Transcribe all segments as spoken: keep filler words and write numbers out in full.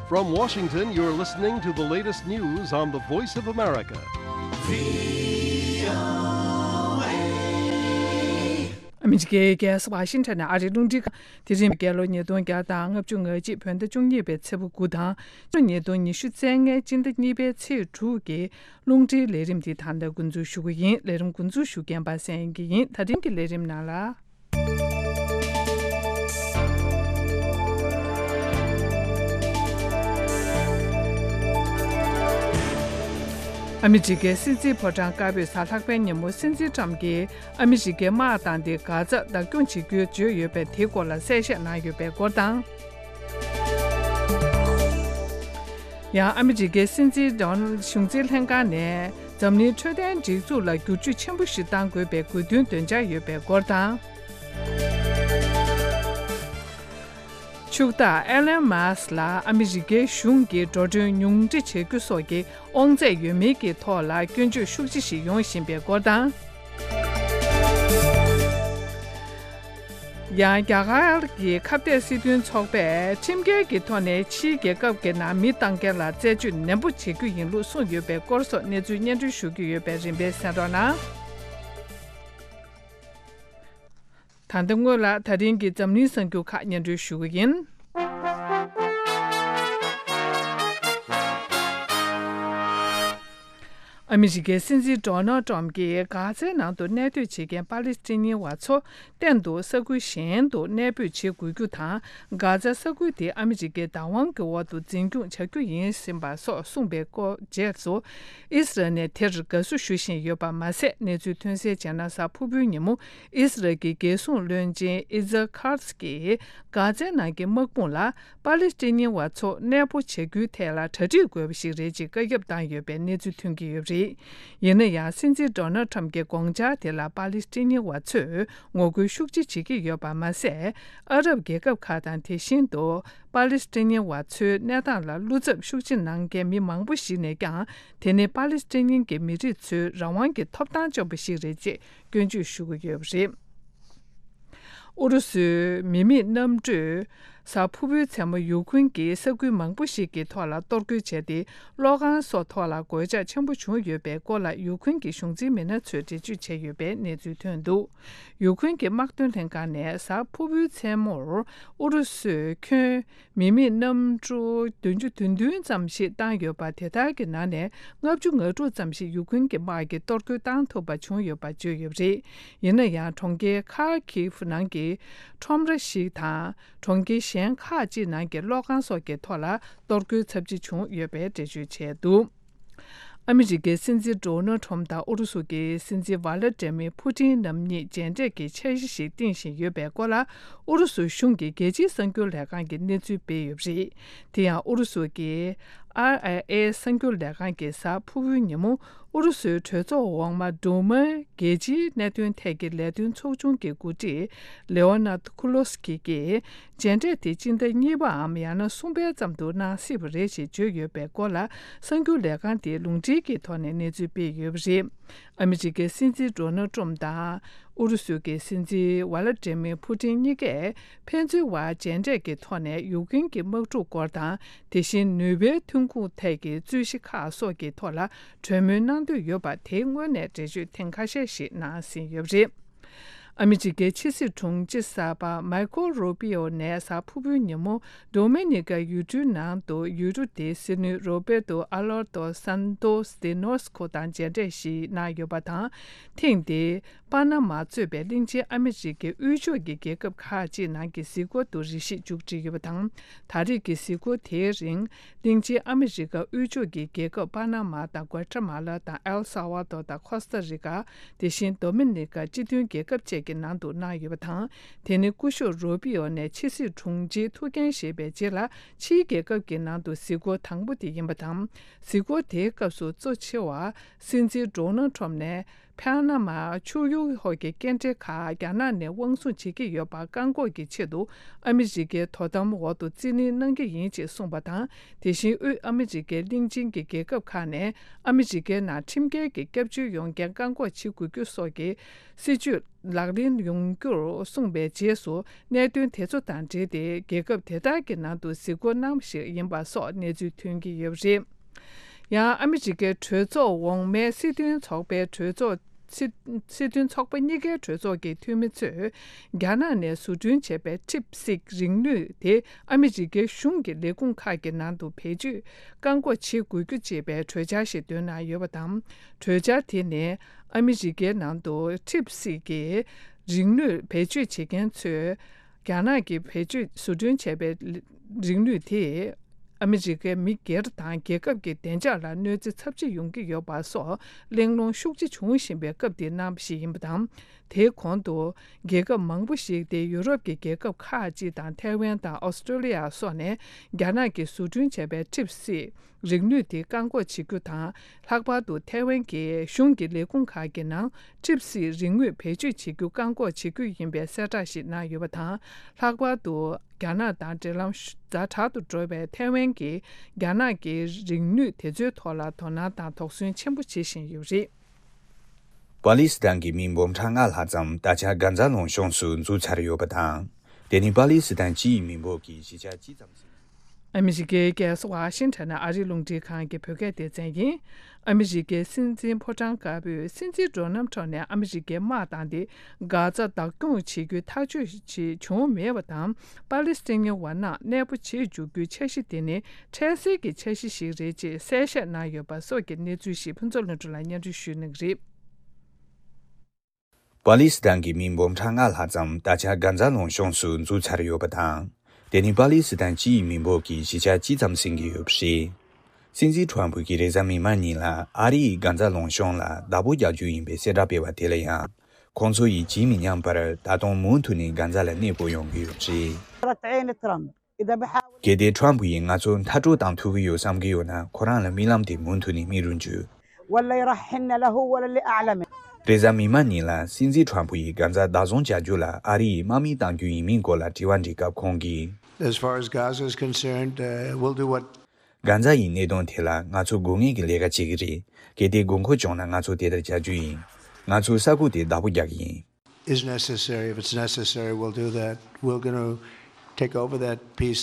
From Washington, you're listening to the latest news on the Voice of America. ཨ་མི་རི་ཀའི་རྒྱལ་ས་ཝ་ཤིང་ཊོན་ནས་ཨ་རིའི་རླུང་འཕྲིན་ཁང་། དེ་རིང་རྒྱལ་ལོ་ཉིས་སྟོང་བརྒྱ་དང་ལྔ་བཅུ་ང་གཅིག་བོད་ཟླ་བཅུ་གཉིས་པའི་ཚེས་པ་དགུ་དང་། ཕྱི་ལོ་ཉིས་སྟོང་ཉི་ཤུ་རྩ་ལྔའི་སྤྱི་ཟླ་གཉིས་པའི་ཚེས་དྲུག་གི་རླུང་འཕྲིན་ལས་རིམ་འདི་ད་ལྟ་འགོ་འཛུགས་ཞུ་གི་ཡིན། ལས་རིམ་འགོ་འཛུགས་ཞུ་མཁན་པ་སངས་དབྱངས་སྐྱིད་ཡིན། ད་རིང་གི་ལས་རིམ་ནང་ལ། ཨ་མི་རི་ཀའི་སྲིད་འཛིན་ཕོ་བྲང་དཀར་པོའི་གཟའ་ལྷག་པའི་ཉིན་མོ་སྲིད་འཛིན་ཊམ་གྱིས་ཨ་མི་རི་ཀའི་དམག་བཏང་སྟེ་གྷ་ཛ་བདག་སྐྱོང་བྱེད་རྒྱུའི་བརྗོད་ཡོད་པའི་དེའི་སྐོར་ལ་གསལ་བཤད་གནང་ཡོད་པའི་སྐོར་དང་། ཡང་ཨ་མི་རི་ཀའི་སྲིད་འཛིན་ཌོ་ནལ་གཞུང་འཛིན་ལྷན་ཁང་ནས་འཛམ་གླིང་འཕྲོད་བསྟེན་སྒྲིག་འཛུགས་ལ་བསྒྱུར་བཅོས་ཆེན་པོ་ཞིག་གཏང་དགོས་པའི་དགོས་འདུན་འདོན་འཆར་ཡོད་པའི་སྐོར་དང་། ཕྱུག་བདག་ཨེ་ལན་མཱ་སི་ལ་ཨ་མི་རི་ཀའི་གཞུང་གིས་འགྲོ་གྲོན་ཉུང་འཕྲི་བྱེད་རྒྱུ་སོགས་ཀྱི་དབང་ཚད་ཡོད་མིན་གྱི་ཐོག་ལ་སྐྱོན་བརྗོད་ཤུགས་ཆེ་ཞིག་ཡོང་བཞིན་པའི་སྐོར་དང་། ཡང་རྒྱ་གར་གྱི་ཁ་གཏད་སྲིད་དོན་ཚོགས་པས་ཁྲིམས་འགལ་གྱི་ཐོག་ནས་ཕྱིའི་རྒྱལ་ཁབ་ཀྱི་ནང་མི་གཏང་མཁན་ལ་རྩད་གཅོད་ནན་པོ་བྱེད་རྒྱུ་ཡིན་ལུགས་གསུངས་ཡོད་པའི་སྐོར་སོགས་གནས་ཚུལ་སྙན་སྒྲོན་ཞུ་རྒྱུ་ཡོད་པས་རིམ་པས་གསན་རོགས་གནང་། ད་ལྟ་སྔོན་ལ་ད་རིང་གི་འཛམ་གླིང་གསར་འགྱུར་ཁག་སྙན་སྒྲོན་ཞུ་གི་ཡིན། ཨ་མི་རི་ཀའི་སྲིད་འཛིན་ཌོ་ནལ་ཊམ་གྱིས་གྷ་ཛའི་ནང་དུ་གནས་སྡོད་བྱེད་མཁན་པ་ལི་སི་ཐན་ཉི་བ་ཚོ་གཏན་དུ་ས་ཁུལ་གཞན་དུ་གནས་སྤོས་བྱེད་དགོས་རྒྱུ་དང་། གྷ་ཛ་ས་ཁུལ་དེ་ཨ་མི་རི་ཀའི་བདག་དབང་གི་འོག་ཏུ་འཛིན་སྐྱོང་བྱ་རྒྱུ་ཡིན་ཟིན་པ་སོགས་གསུངས་པའི་སྐོར་རྗེས་སུ། ཨི་སི་རལ་ནས་དེར་དགའ་བསུ་ཞུ་བཞིན་ཡོད་པ་མ་ཟད། གནས་ཚུལ་ཐོན་གསལ་བྱས་ན། གཟའ་ཕུར་བུའི་ཉིན་མོ་ཨི་སི་རལ་གྱི་རྒྱལ་སྲུང་བློན་ཆེན་ཨི་ཛ་ཁཱ་ཛ་གིས་གྷ་ཛའི་ནང་གི་དམག་དཔུང་ལ་པ་ལི་སི་ཐན་ཉི་བ་ཚོ་གནས་སྤོ་བྱ་རྒྱུའི་ཐད་ལ་གྲ་སྒྲིག་དགོས་པ་ཞིག་རེད་ཅེས་བཀའ་ཁྱབ་བཏང་ཡོད་པའི་གནས་ཚུལ་ཐོན་གྱི་ཡོད་པ་རེད། ཡིན་ན་ཡང་། སྲིད་འཛིན་ཌོ་ནལ་ཁྲམ་གྱི་དགོངས་འཆར་དེ་ལ་པ་ལི་སི་ཐན་ཉི་བ་ཚོས་ངོ་རྒོལ་ཤུགས་ཆེ་བྱེད་ཀྱི་ཡོད་པ་མ་ཟད། ཨ་རབ་རྒྱལ་ཁབ་ཁག་དང་། དེ་བཞིན་དུ་པ་ལི་སི་ཐན་ཉི་བ་ཚོའི་གནས་སྟངས་ལ་བློ་འཚབ་ཤུགས་ཆེ་གནང་མཁན་མི་མང་པོ་ཞིག་ནས་ཀྱང་། དེ་ནི་པ་ལི་སི་ཐན་ཉི་གི་མི་རིགས་ཚོའི་རང་དབང་གི་ཐོབ་ཐང་བཅོམ་པ་ཞིག་རེད་ཅེས་སྐྱོན་བརྗོད་ཞུ་གི་ཡོད་པ་རེད། ཨུ་རུ་སུའི་མི་མེད་གནམ་གྲུས་གཟའ་ཕུར་བུའི་མཚན་མོ་ཡུ་ཁུན་གྱི་ས་ཁུལ་མང་པོ་ཞིག་གི་ཐོག་ལ་གཏོར་རྒོལ་བྱས་ཏེ། གློག་ཁང་སོགས་ཐོག་ལ་གོད་ཆག་ཆེན་པོ་བྱུང་ཡོད་པའི་སྐོར་ལ་ཡུ་ཁུན་གྱི་གཞུང་འཛིན་མི་སྣ་ཚོས་འགྲེལ་བརྗོད་བྱས་ཡོད་པའི་གནས་ཚུལ་ཐོན་འདུག་ཡུ་ཁུན་གྱི་དམག་དོན་ལྷན་ཁང་ནས་གཟའ་ཕུར་བུའི་མཚན་མོར་ཨུ་རུ་སུས་ཁྱོན་མི་མེད་གནམ་གྲུ་བདུན་ཅུ་དོན་བདུན་ཙམ་ཞིག་བཏང་ཡོད་པ། དེ་དག་གི་ནང་ནས་ལྔ་བཅུ་ང་དྲུག་ཙམ་ཞིག་ཡུ་ཁུན་གྱི་དམག་གིས་གཏོར་རྒོལ་བཏང་ཐུབ་པ་བྱུང་ཡོད་པ་བརྗོད་ཡོད་པ་རེད། ཡིན་ན་ཡང་། གྲོང་ཁྱེར་ཁཱ་ཁིབ་ནང་གི་ཁྲོམ་ར་ཞིག་དང་། གྲོང་ཁྱེར་གཞན་ཁག་ཅིག་ནང་གི་གློག་ཁང་སོགས་ཀྱི་ཐོག་ལ་གཏོར་རྒོལ་ཚབས་ཆེ་བྱུང་ཡོད་པའི་འགྲེལ་བརྗོད་བྱས་འདུག་ཨ་མི་རི་ཀའི་སྲིད་འཛིན་ཌོ་ནལ་ཁྲོམ་དང་ཨུ་རུ་སུ་གྱི་སྲིད་འཛིན་ཝ་ལ་ཏྲེ་མི་ཕུ་ཏིན་རྣམ་གཉིས་མཇལ་འཕྲད་ཀྱི་འཆར་གཞི་ཞིག་བཏིང་བཞིན་ཡོད་པའི་སྐོར་ལ། ཨུ་རུ་སུ་གཞུང་གི་རྒྱལ་སྤྱིའི་གསར་འགྱུར་ལས་ཁང་གིས་གནས་ཚུལ་སྤེལ་ཡོད་པ་རེད། དེ་ཡང་། ཨུ་རུ་སུ་གྱི་ཨར་ཨའི་ཨེ་གསར་འགྱུར་ལས་ཁང་གིས་གཟའ་ཕུར་བུའི་ཉིན་མོ། ཨུ་རུ་སུའི་གྲོས་ཚོགས་འོག་མ་ཌུ་མའི་རྒྱལ་སྤྱིའི་གནད་དོན་ཐད་ཀྱི་ལས་དོན་ཚོགས་ཆུང་གི་འགོ་ཁྲིད་ལེའོ་ནཱད་ཁུ་ལོ་སི་ཀི་གིས། མཇལ་འཕྲད་དེ་སྤྱི་ཟླ་གཉིས་པའམ་ཡང་ན་གསུམ་པའི་ཙམ་དུ་གནང་སྲིད་པ་རེད་ཅེས་བརྗོད་ཡོད་པའི་སྐོར་ལ། གསར་འགྱུར་ལས་ཁང་དེས་ལུང་འདྲེན་གྱི་ཐོག་ནས་གནས་ཚུལ་སྤེལ་ཡོད་པ་རེད། ཨ་མི་རི་ཀའི་སྲིད་འཛིན་ཌོ་ནལ་ཏྲམ་དང་། ཨུ་རུ་སུ་གྱི་སྲིད་འཛིན་ཝ་ལ་ཏྲེ་མི་ཕུ་ཏིན་གཉིས་ཀས་ཕན་ཚུན་བར་མཇལ་འཕྲད་ཀྱི་ཐོག་ནས་ཡུཀ་རེན་གྱི་དམག་འཁྲུག་སྐོར་དང་། དེ་བཞིན་ནུས་པའི་ཐོན་ཁུངས་ཐད་ཀྱི་རྩོད་གཞི་ཁག་སོགས་ཀྱི་ཐོག་ལ་གྲོས་མོལ་གནང་འདོད་ཡོད་པ་དེ་སྔོན་ནས་འགྲེལ་བརྗོད་ཐེངས་ཁ་ཤས་ཤིག་གནང་ཟིན་ཡོད་པ་རེད། ཨ་མི་རི་ཀའི་ཕྱི་སྲིད་དྲུང་ཆེ་གསར་པ་མའི་ཀོ་རུ་པི་ཨོ་ནས་གཟའ་ཕུར་བུའི་ཉིན་མོ་ཌོ་མི་ནི་ཀ་ཡུལ་གྲུའི་ནང་དུ་ཡུལ་གྲུ་དེའི་སྲིད་བློན་རོ་བེ་ཏོ་ཨ་ལོར་ཏོ་སན་ཏོ་སི་ཏེ་ནོ་སི་ཁོ་དང་མཇལ་འཕྲད་ཞིག་གནང་ཡོད་པ་དང་། ཐེངས་འདིའི་པ་ན་མ་གཙོས་པའི་གླིང་ཆེན་ཨ་མི་རི་ཀའི་དབུས་ཕྱོགས་ཀྱི་རྒྱལ་ཁབ་ཁག་ཅིག་ནང་གི་གཟིགས་སྐོར་དུ་རེ་ཞིག་མཇུག་སྒྲིལ་ཡོད་པ་དང་། ད་རེས་ཀྱི་གཟིགས་སྐོར་དེའི་རིང་། གླིང་ཆེན་ཨ་མི་རི་ཀ་དབུས་ཕྱོགས་ཀྱི་རྒྱལ་ཁབ་པ་ན་མ་དང་། གུ་ཨ་ཏ་མ་ལ་དང་། ཨེལ་ས་ཝ་དོ་དང་། ཁོ་སྟ་རི་ཀ། དེ་བཞིན་ཌོ་མི་ནི་ཀ་སྤྱི་མཐུན་རྒྱལ་ཁབ་བཅས་ཀྱི་ནང་དུ་གནང་ཡོད་པ་དང་། དེ་ནི་སྐུ་ཞབས་རུ་པི་ཨོ་ནས་ཕྱི་སྲིད་དྲུང་ཆེའི་ཐུགས་འགན་བཞེས་པའི་རྗེས་ལ། ཕྱིའི་རྒྱལ་ཁབ་ཀྱི་ནང་དུ་གཟིགས་སྐོར་དང་པོ་དེ་ཡིན་པ་དང་། གཟིགས་སྐོར་དེའི་སྐབས་སུ་གཙོ་ཆེ་བ་སྲིད་འཛིན་ཌོ་ནལ་ཁྲོམ་ནས། པ་ན་མ་ཆུ་ཡུར་ཧོ་གི་སྐྱེལ་འདྲེན་ཁག་རྒྱ་ནག་ནས་དབང་བཟུང་བྱེད་ཀྱི་ཡོད་པ་བཀག་འགོག་གི་ཆེད་དུ་ཨ་མི་རི་ཀའི་དོ་དམ་འོག་ཏུ་རྩིས་ལེན་གནང་གི་ཡིན་ཅེས་གསུངས་པ་དང་། དེ་བཞིན་དབུས་ཨ་མི་རི་ཀའི་གླིང་ཆེན་གྱི་རྒྱལ་ཁབ་ཁག་ནས་ཨ་མི་རི་ཀའི་ནང་ཁྲིམས་འགལ་གྱི་སྐྱབས་བཅོལ་ཡོང་མཁན་བཀག་འགོག་བྱེད་དགོས་རྒྱུ་སོགས་ཀྱི་སྲིད་ཇུས་ལག་ལེན་ཡོང་རྒྱུར་གསུངས་པའི་རྗེས་སུ། གནད་དོན་དེ་ཚོ་དང་འབྲེལ་ཏེ་རྒྱལ་ཁབ་དེ་དག་གི་ནང་དུ་གཟིགས་སྐོར་གནང་བ་ཞིག་ཡིན་པ་སོགས་གནས་ཚུལ་ཐོན་གྱི་ཡོད་པ་རེད། ཡང་ཨ་མི་རི་ཀའི་གྲོས་ཚོགས་འོག་མའི་སྲིད་དོན་ཚོགས་པའི་གྲོས་ཚོགས། སྲིད་སྲིད་དོན་ཚོགས་པ་གཉིས་ཀའི་གྲོས་ཚོགས་ཀྱི་འཐུས་མི་ཚོས། རྒྱ་ནག་ནས་བཟོ་སྐྲུན་བྱས་པའི་ཁྲིབ་སིག་རིག་ནུས་དེ་ཨ་མི་རི་ཀའི་གཞུང་གི་ལས་ཁུངས་ཁག་གི་ནང་དུ་བེད་སྤྱོད་བཀག་འགོག་བྱེད་དགོས་རྒྱུ་ཅེས་པའི་གྲོས་འཆར་ཞིག་བཏོན་གནང་ཡོད་པ་དང་། གྲོས་འཆར་དེ་ནི་ཨ་མི་རི་ཀའི་ནང་དུ་ཁྲིབ་སིག་གི་རིག་ནུས་བེད་སྤྱོད་བྱེད་མཁན་ཚོས། རྒྱ་ནག་གིས་བེད་སྤྱོད་བཟོ་སྐྲུན་བྱས་པའི་རིག་ནུས་དེས་ཨ་མི་རི་ཀའི་མི་སྒེར་དང་རྒྱལ་ཁབ་ཀྱི་བདེ་འཇགས་ལ་གནོད་འཚེ་ཚབས་ཆེ་ཡོང་གི་ཡོད་པ་སོགས་གླེང་སློང་ཤུགས་ཆེ་བྱུང་བཞིན་པའི་སྐབས་དེར་གནང་བ་ཞིག་ཡིན་པ་དང་། དེའི་གོང་དུ་རྒྱལ་ཁབ་མང་པོ་ཞིག་སྟེ་ཡུ་རོབ་ཀྱི་རྒྱལ་ཁབ་ཁག་ཅིག་དང་ཐའེ་ཝན་དང་ཨོ་སི་ཀྲོ་ལི་ཡ་སོགས་ནས་རྒྱ་ནག་གིས་བཟོ་སྐྲུན་བྱས་པའི་ཁྲིབ་སིག་རིག་ནུས་དེ་བཀག་འགོག་བྱེད་རྒྱུ་དང་། ལྷག་པར་དུ་ཐའེ་ཝན་གྱི་གཞུང་གི་ལས་ཁུངས་ཁག་གི་ནང་ཁྲིབ་སིག་རིག་དངོས་བེད་སྤྱོད་བྱེད་རྒྱུ་བཀག་འགོག་བྱེད་རྒྱུ་ཡིན་པའི་གསལ་བསྒྲགས་ཤིག་གནང་ཡོད་པ་དང་། ལྷག་པར་དུ་རྒྱ་ནག་དང་འབྲེལ་ལམ་ཤུ་ཛ་དྲག་ཏུ་འགྲོ་བའི་ཐའེ་ཝན་གྱིས་རྒྱ་ནག་གི་རིག་ནུས་དེ་ཚོའི་ཐོག་ལ་དོ་སྣང་དང་དོགས་ཟོན་ཆེན་པོ་བྱེད་བཞིན་ཡོད་པ་རེད། པ་ལི་སི་ཐན་གྱི་མི་འབུམ་ཕྲག་ལྔ་ལྷག་ཙམ་ད་ཆ་གྷ་ཛ་ལུང་གཤོང་སུ་འཛུལ་ཚར་ཡོད་པ་དང་། དེ་ནི་པ་ལི་སི་ཐན་སྤྱི་ཡི་མི་འབོར་གྱི་བཞི་ཆ་གཅིག་ཙམ་ཟིན། ཨ་མི་རི་ཀའི་རྒྱལ་ས་ཝ་ཤིང་ཊོན་ནས་ཨ་རིའི་རླུང་འཕྲིན་ཁང་གི་བོད་སྐད་སྡེ་ཚན་ཡིན། ཨ་མི་རི་ཀའི་སྲིད་འཛིན་ཕོ་བྲང་དཀར་པོས་སྲིད་འཛིན་འགྲོ་རྣམ་ཐོག་ནས་ཨ་མི་རི་ཀའི་དམག་བཏང་སྟེ་གྷ་ཛ་བདག་སྐྱོང་བྱེད་རྒྱུའི་ཐག་གཅོད་ཅིག་བྱུང་མེད་པ་དང་། པ་ལི་སི་ཐན་བ་རྣམས་གནས་སྤོ་བྱེད་འཇུག་རྒྱུའི་འཆར་གཞི་དེ་ནི་འཕྲལ་སེལ་གྱི་འཆར་གཞི་ཞིག་རེད་ཅེས་གསལ་བཤད་གནང་ཡོད་པ་སོགས་ཀྱི་གནས་ཚུལ་ཞིག་ཕུན་ཚོགས་ལྷུན་གྲུབ་ལ་སྙན་སྒྲོན་ཞུ་གནང་གི་རེད། པ་ལི་སི་ཐན་གྱི་མི་འབུམ་ཕྲག་ལྔ་ལྷག་ཙམ་ད་ཆ་གྷ་ཛ་ལུང་གཤོང་སུ་འཛུལ་ཚར་ཡོད་པ་དང་། དེ་ནི་པ་ལི་སི་ཐན་སྤྱི་ཡི་མི་འབོར་གྱི་བཞི་ཆ་གཅིག་ཙམ་ཟིན་གྱི་ཡོད་པ་རེད། སྲིད་འཛིན་ཁྲོམ་ཕུ་གིས་རེས་གཟའ་མིག་དམར་ཉིན་ལ་ཨ་རི་ཡིས་གྷ་ཛ་ལུང་གཤོང་ལ་བདག་པོ་རྒྱག་རྒྱུ་ཡིན་པའི་གསལ་བསྒྲགས་སྤེལ་བ་དེ་ལ་ཡང་། ཁོང་ཚོ་ཡིས་ཇི་མི་སྙམ་པར་ད་དུང་མུ་མཐུད་ནས་གྷ་ཛ་ལ་གནས་སྤོ་ཡོང་གི་ཡོད་པ་རེད། ثرة عين ترامب. إذا بحاول གལ་ཏེ་ཁྲོམ་ཕུ་ཡིས་ང་ཚོ་མཐར་སྐྲོད་བཏང་ཐུབ་ཀྱི་ཡོད་བསམ་གྱི་ཡོད་ན། ཁོ་རང་ལ་རྨི་ལམ་དེ་མུ་མཐུད་ནས་རྨི་རུ་འཇུག ولا يرحلن له ولا لأعلمه. རེས་གཟའ་མིག་དམར་ཉིན་ལ་སྲིད་འཛིན་ཁྲོམ་ཕུ་ཡིས་གྷ་ཛ་བདག་བཟུང་བྱ་རྒྱུ་ལ་ཨ་རི་ཡིས་དམག་མི་གཏང་རྒྱུ་ཡིན་མིན་སྐོར་ལ་དྲི་བ་འདྲི་སྐབས་ཁོང་གིས། As far as Gaza is concerned, uh, we'll do what གྷ་ཛ་ཡི་གནད་དོན་དེ་ལ་ང་ཚོ་དགོས་ངེས་ཀྱི་ལས་ཀ་བྱེད་ཀྱི་རེད། གལ་ཏེ་དགོས་མཁོ་བྱུང་ན་ང་ཚོ་དེ་ལྟར་བྱ་རྒྱུ་ཡིན། ང་ཚོས་ས་ཁུག་དེ་བདག་པོ་རྒྱག་གི་ཡིན། Is necessary. If it's necessary, we'll do that. We're gonna take over that piece.